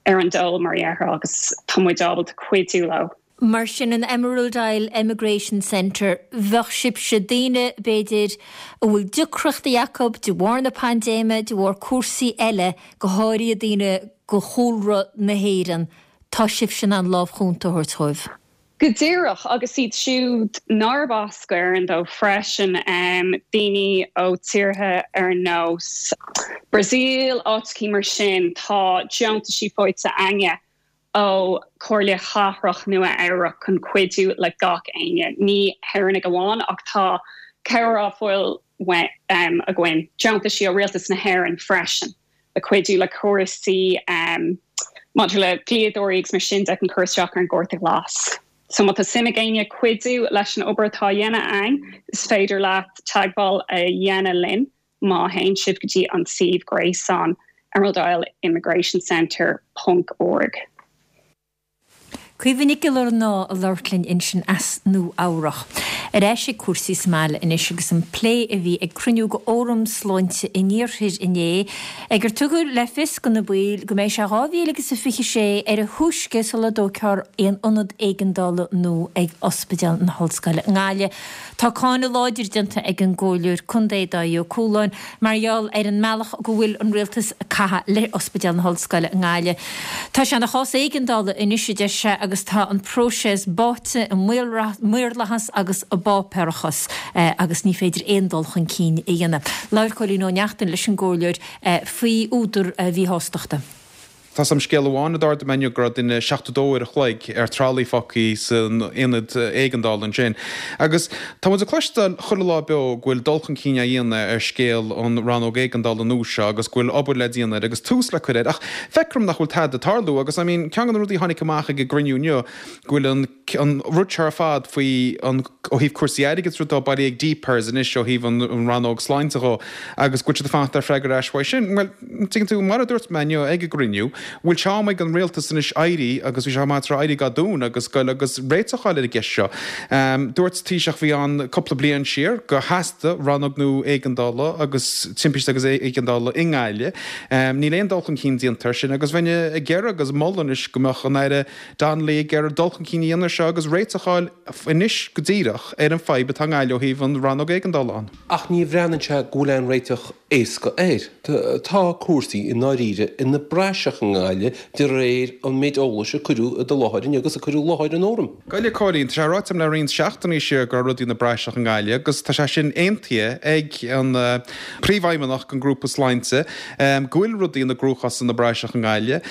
ar an dole mar a déarfá agus tá muid ábalta cuidiú leo. Mar sin an Emerald Isle Emigration Centre, bheadh sibhse daoine b'fhéidir a bhfuil deacrachtaí acu de bharr na paindéime, de bharr cúrsaí eile, go háirithe daoine de chúlra na hÉireann, tá sibhse in ann lámh chúnta a thabhairt dóibh. Go díreach agus iad siúd nárb as Éirinn dóibh freisin um, daoine ó tíortha ar nós Brazil áiteachaí mar sin tá deontaisí faighte againne ó Chomhairle Chathrach Nua Eabhrac chun cuidiú le gach éinne. Ní hÉireannaigh amháin ach tá cabhair á fáil um, againn deontaisí ó rialtas na hÉireann freisin. Le cuidiú le cúrsaí um, maidir le dlíodóirí agus mar sin de chun cur isteach ar an gcárta glas. So má tá suim ag éinne cuidiú leis an obair atá á dhéanamh againn, is féidir leat teagmháil a dhéanamh linn má théann sibh go dtí an suíomh gréasáin emerald immigration centre ponc org. Caoimhe Nic Giollarnáth ag labhairt linn ansin as Nua Eabhrach. Ar ais ag cúrsaí sa mbaile anois agus an plé a bhí ag cruinniú de Fhóram Sláinte an Iarthair inné, ag ar tugadh le fios do na baill go mbeidh sé dhá mhíle agus a fiche sé ar a thúisce sula dtógfar aon ionad éigeandála nua ag Ospidéal na hOllscoile i nGaillimh. Tá cáineadh láidir déanta ag an gComhairleoir Contae Dáithí Ó Cualáin mar gheall ar an mbealach go bhfuil an rialtas ag caitheamh le Ospidéal na hOllscoile i nGaillimh. Tá sé ina chás éigeandála anois a deir sé agus tá an próiseas báite i maorlathas agus i bpáipéarachas agus ní féidir aon dul chun cinn a dhéanamh. Labhair Cóilín Ó Neachtain leis an gComhairleoir faoi údar a mhíshástachta. Tá a fhios agam scéal amháin a d'ardaigh mé inniu go raibh duine seachtó dó uair a chloig ar tralaí fágtha san aonad éigeandála ansin. Agus tá muid ag cloisteáil chuile lá beo go bhfuil dul chun cinn á dhéanamh ar scéal an rannóg éigeandála nua seo agus go bhfuil obair le déanamh air agus tús le cur air ach feictear dom nach bhfuil tada ag tarlú agus I mean ceann de na rudaí a tháinig amach ag an gcruinniú inniu go bhfuil an an rud seo ar fad faoi an ó thaobh cúrsaí airgid rud atá bailithe ag DPIRS anois ó thaobh an an rannóg sláinte dhó agus go bhfuil siad ag fanacht ar freagra ar ais uaidh sin. Bhuel, tuigeann tú, mar a dúirt mé inniu ag an gcruinniú, bhfuil sé am ag an rialtas anois éirí agus bhí sé am tráth éirí go dún agus goil agus réiteach a fháil ar an gceist seo. Dúirt Taoiseach a bhí ann cúpla bliain siar gur theastaigh rannóg nua éigeandála agus timpiste agus éigeandála i nGaillimh. Níl aon dul chun cinn déanta air sin agus bheinn ag iarraidh agus moladh anois go mbeadh an Aire Donnelly ag iarraidh dul chun cinn a dhéanamh air seo agus réiteach a fháil anois go díreach ar an fadhb atá i nGaillimh ó thaobh an rannóg éigeandála ann. Ach ní bhreathnaíonn sé go bhfuil aon réiteach éasca air. Tá cúrsaí i ndáiríre ina bpraiseach i nGaillimh de réir an méid eolais a cuireadh i do láthair inniu agus a cuireadh i láthair an fhóraim. Gabh i leith, a Chóilín, tá sé ráite agam le roinnt seachtainí siar go raibh rudaí ina bpraiseach i nGaillimh agus tá sé sin aontaithe ag an Príomhfheidhmeannach den Ghrúpa Sláinte go bhfuil rudaí ina gcruachás ina bpraiseach i nGaillimh,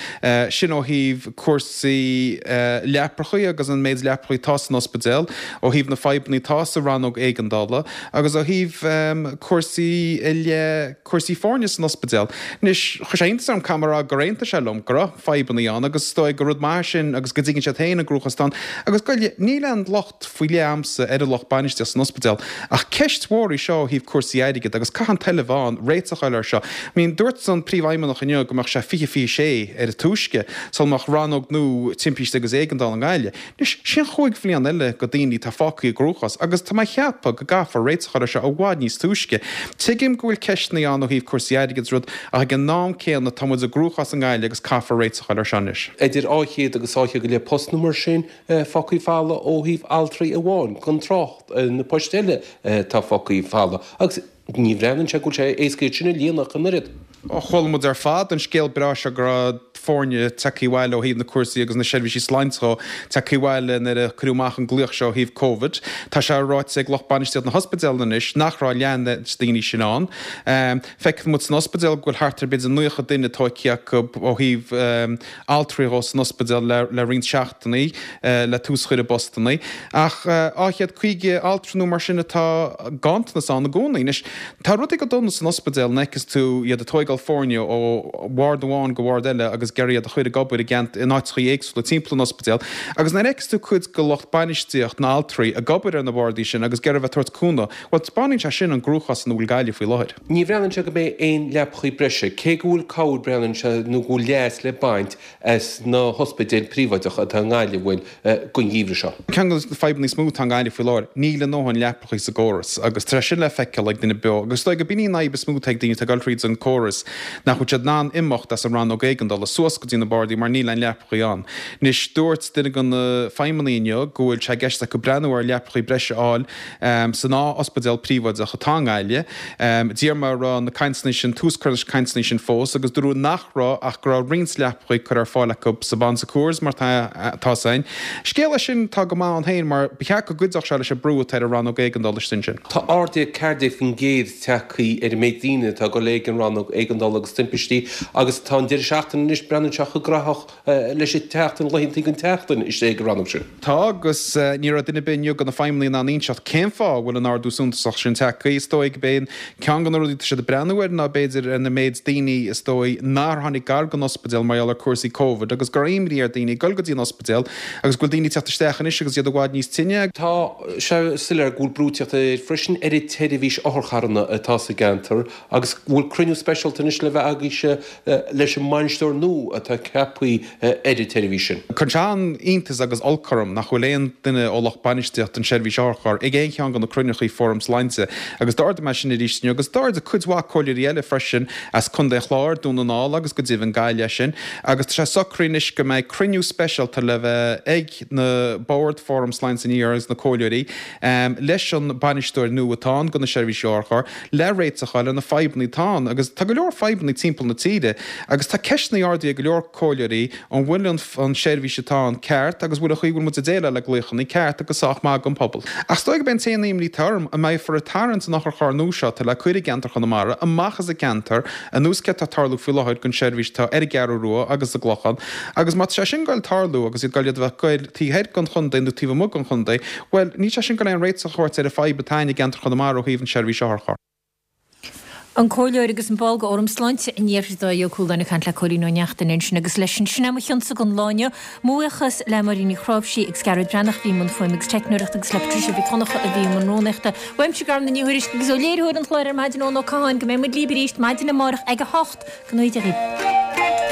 sin ó thaobh cúrsaí leaprachaí agus an méid leaprachaí atá san ospidéal, ó thaobh na fadhbanna atá sa rannóg éigeandála agus ó thaobh cúrsaí i leith cúrsaí foirne san ospidéal. Anois, chuir sé iontas orm, caithfidh mé a rá, gur aontaigh sé liom. liom go raibh fadhbanna ann agus is dóigh gur rud maith sin agus go dtuigeann siad féin an gcruachás atá ann. Agus Gaillimh, níl aon locht faoi leith a'msa ar an lucht bainistíochta san ospidéal ach ceist mhór í seo ó thaobh cúrsaí airgid agus caithfidh an toil a bheith ann réiteach a fháil air seo. I mean, dúirt an príomhfheidhmeannach inniu go mbeadh sé fiche fiche sé ar an túisce sula mbeadh rannóg nua timpiste agus éigeandála i nGaillimh. Anois, sin chúig bhliain eile go daoine atá fágtha i gcruachás agus tá mé ag ceapadh go gcaithfear réiteach a fháil air seo i bhfad níos túisce. Tuigim go bhfuil ceisteanna ann ó thaobh cúrsaí airgid is rud ach ag an am céanna tá muid i gcruachás i nGaillimh agus caithfear réiteach a fháil air seo anois. Idir dhá chéad agus dhá chéad go leith post nó mar sin fágtha folamh ó thaobh altraí amháin, gan trácht ar na poist eile atá fágtha folamh. Agus ní bhreathnaíonn sé go bhfuil sé éasca iad sin a líonadh ach an oiread. Chuala muid ar fad an scéal breá seo go raibh foirne tagtha abhaile ó thaobh na cúrsaí agus na seirbhísí sláinte dhó tagtha abhaile nuair a cuireadh amach an glaoch seo ó thaobh Covid. Tá sé ráite ag lucht bainistíochta na hospidéal anois nach raibh leath na daoine sin ann. Feicfidh muid san ospidéal go bhfuil thart ar b'fhéidir naocha duine tógtha acu ó thaobh altraí dhó san ospidéal le roinnt seachtainí le tús a chur i bpostannaí. Ach dhá chéad caoga altra nó mar sin atá ganntanas ann i gcónaí. Anois, tá rudaí go dona san ospidéal an bhfeiceanns tú iad ag tóigeáil foirne ó bhord amháin go bhord eile agus ag iarraidh iad a chur ag obair i gceant in áiteachaí éagsúla timpeall an ospidéil agus nuair a fheiceanns tú cuid de lucht bainistíocht na altraí ag obair ar na bordaí sin agus ag iarraidh bheith ag tabhairt cúnamh, bhuel taispeánann sé sin an gcruachás ina bhfuil Gaillimh faoi láthair. Ní bhreathnaíonn sé go mbeidh aon leapachaí breise, cé go bhfuil cabhair breathnaíonn sé nó go bhfuil leas le baint as na hospidéil príobháideacha atá i nGaillimh, bhuel, don gheimhreadh seo. Ceann de na fadhbanna is mó atá i nGaillimh faoi láthair, níl a ndóthain leapachaí sa gcóras agus tá sé sin le feiceáil ag duine beo agus is dóigh go b'in í an fhadhb is mó atá ag daoine atá ag dul thríd an córas, nach bhfuil siad in ann imeacht as an rannóg éigeandála suas go dtí na bardaí mar níl aon leapachaí ann. Anois, dúirt duine de na feidhmeannaigh inniu go bhfuil sé i gceist acu breathnú ar leapachaí breise a fháil san dhá ospidéal príobháideach atá i nGaillimh. D'iarr mé an raibh na cainteanna sin, tús curtha leis na cainteanna sin fós agus dúradh nach raibh ach go raibh roinnt leapachaí curtha ar fáil acu sa Bon Secours mar tá a fhios againn. Scéal é sin atá go maith ann féin mar ba cheart go gcuideodh sé leis an brú atá ar an rannóg éigeandála istigh ansin. Tá ardú ceathair déag faoin gcéad tagtha ar an méid daoine atá ag dul ag an rannóg éigeandála agus timpistí agus tá an deireadh seachtaine anois, breathnaíonn sé chomh gnóthach leis an tseachtain, laethanta den tseachtain istigh ag an rannóg sin. Tá agus ní raibh duine ar bith inniu de na feidhmeannaigh in ann inseacht cén fáth a bhfuil an ardú suntasach sin tagtha. Is dóigh gurb é ceann de na rudaí atá siad ag breathnú air ná b'fhéidir ar na méid daoine is dóigh nár tháinig gar don ospidéal mar gheall ar cúrsaí Covid agus go raibh imní ar daoine dul go dtí an ospidéal agus go bhfuil daoine ag teacht isteach anois agus iad i bhfad níos tinne. Tá sé soiléir go bhfuil brú ag teacht air freisin ar an tseirbhís otharcharranna atá sa gceantar agus go bhfuil cruinniú speisialta anois le bheith agaibhse leis an mbainisteoir nua atá ceaptha ar an tseirbhís sin. Cuireann sé an-iontas agus olc orm nach bhfuil aon duine ó lucht bainistíochta an tseirbhís otharcharr ag aon cheann de na cruinneachaí Fóram Sláinte agus d'ardaigh mé sin arís inniu agus d'ardaigh cuid mhaith comhairleoirí eile freisin as Contae an Chláir, Dún na nGall agus go deimhin Gaillimh é sin agus tá sé socraithe anois go mbeidh cruinniú speisialta le bheith ag na Bord Fóram Sláinte an Iarthair agus na comhairleoirí leis an bainisteoir nua atá ann do na seirbhísí otharcharr le réiteach a fháil ar na fadhbanna atá ann agus tá go leor fadhbanna timpeall na tíre agus tá ceisteanna ardaithe ag go leor comhairleoirí an bhfuil an tseirbhís atá ann ceart agus bhfuil an chaoi a bhfuil muid ag déileáil le glaochanna ceart agus sách maith don phobal. Ach is dóigh gurb é an t-aon imní atá orm an mbeifear ag tarraingt an otharcharr nua seo atá le cur i gceantar Chonamara amach as an gceantar anuas céard atá ag tarlú faoi láthair don seirbhís atá ar an gCeathrú Rua agus sa gClochán agus má tá sé sin ag goil tarlú agus iad ag goil iad a bheith ag goil taobh thoir den chontae nó taobh amuigh den chontae, bhuel, níl sé sin ag goil aon réiteach a thabhairt ar an fadhb atá ann i gceantar Chonamara ó thaobh an seirbhís otharcharr. An Comhairleoir agus an ball de Fhóram Sláinte an Iarthair Dáithí Ó Cualáin ag caint le Cóilín Ó Neachtain ansin agus leis sin sin é mo chionsa don lá inniu. Mo bhuíochas le Máirín Ní Chráimhsí agus Gearóid Breathnach a bhí i mbun fuaime agus teicneoireachta agus le Patricia Mhic Dhonncha a bhí i mbun rúnaíochta. Uaimse Garmna Ní Thuairisg agus ó léiritheoir an chláir ar maidin Eoin Ó Catháin go mbeidh muid libh arís maidin amárach ag a hocht. Go ngnóthaí Dia dhaoibh.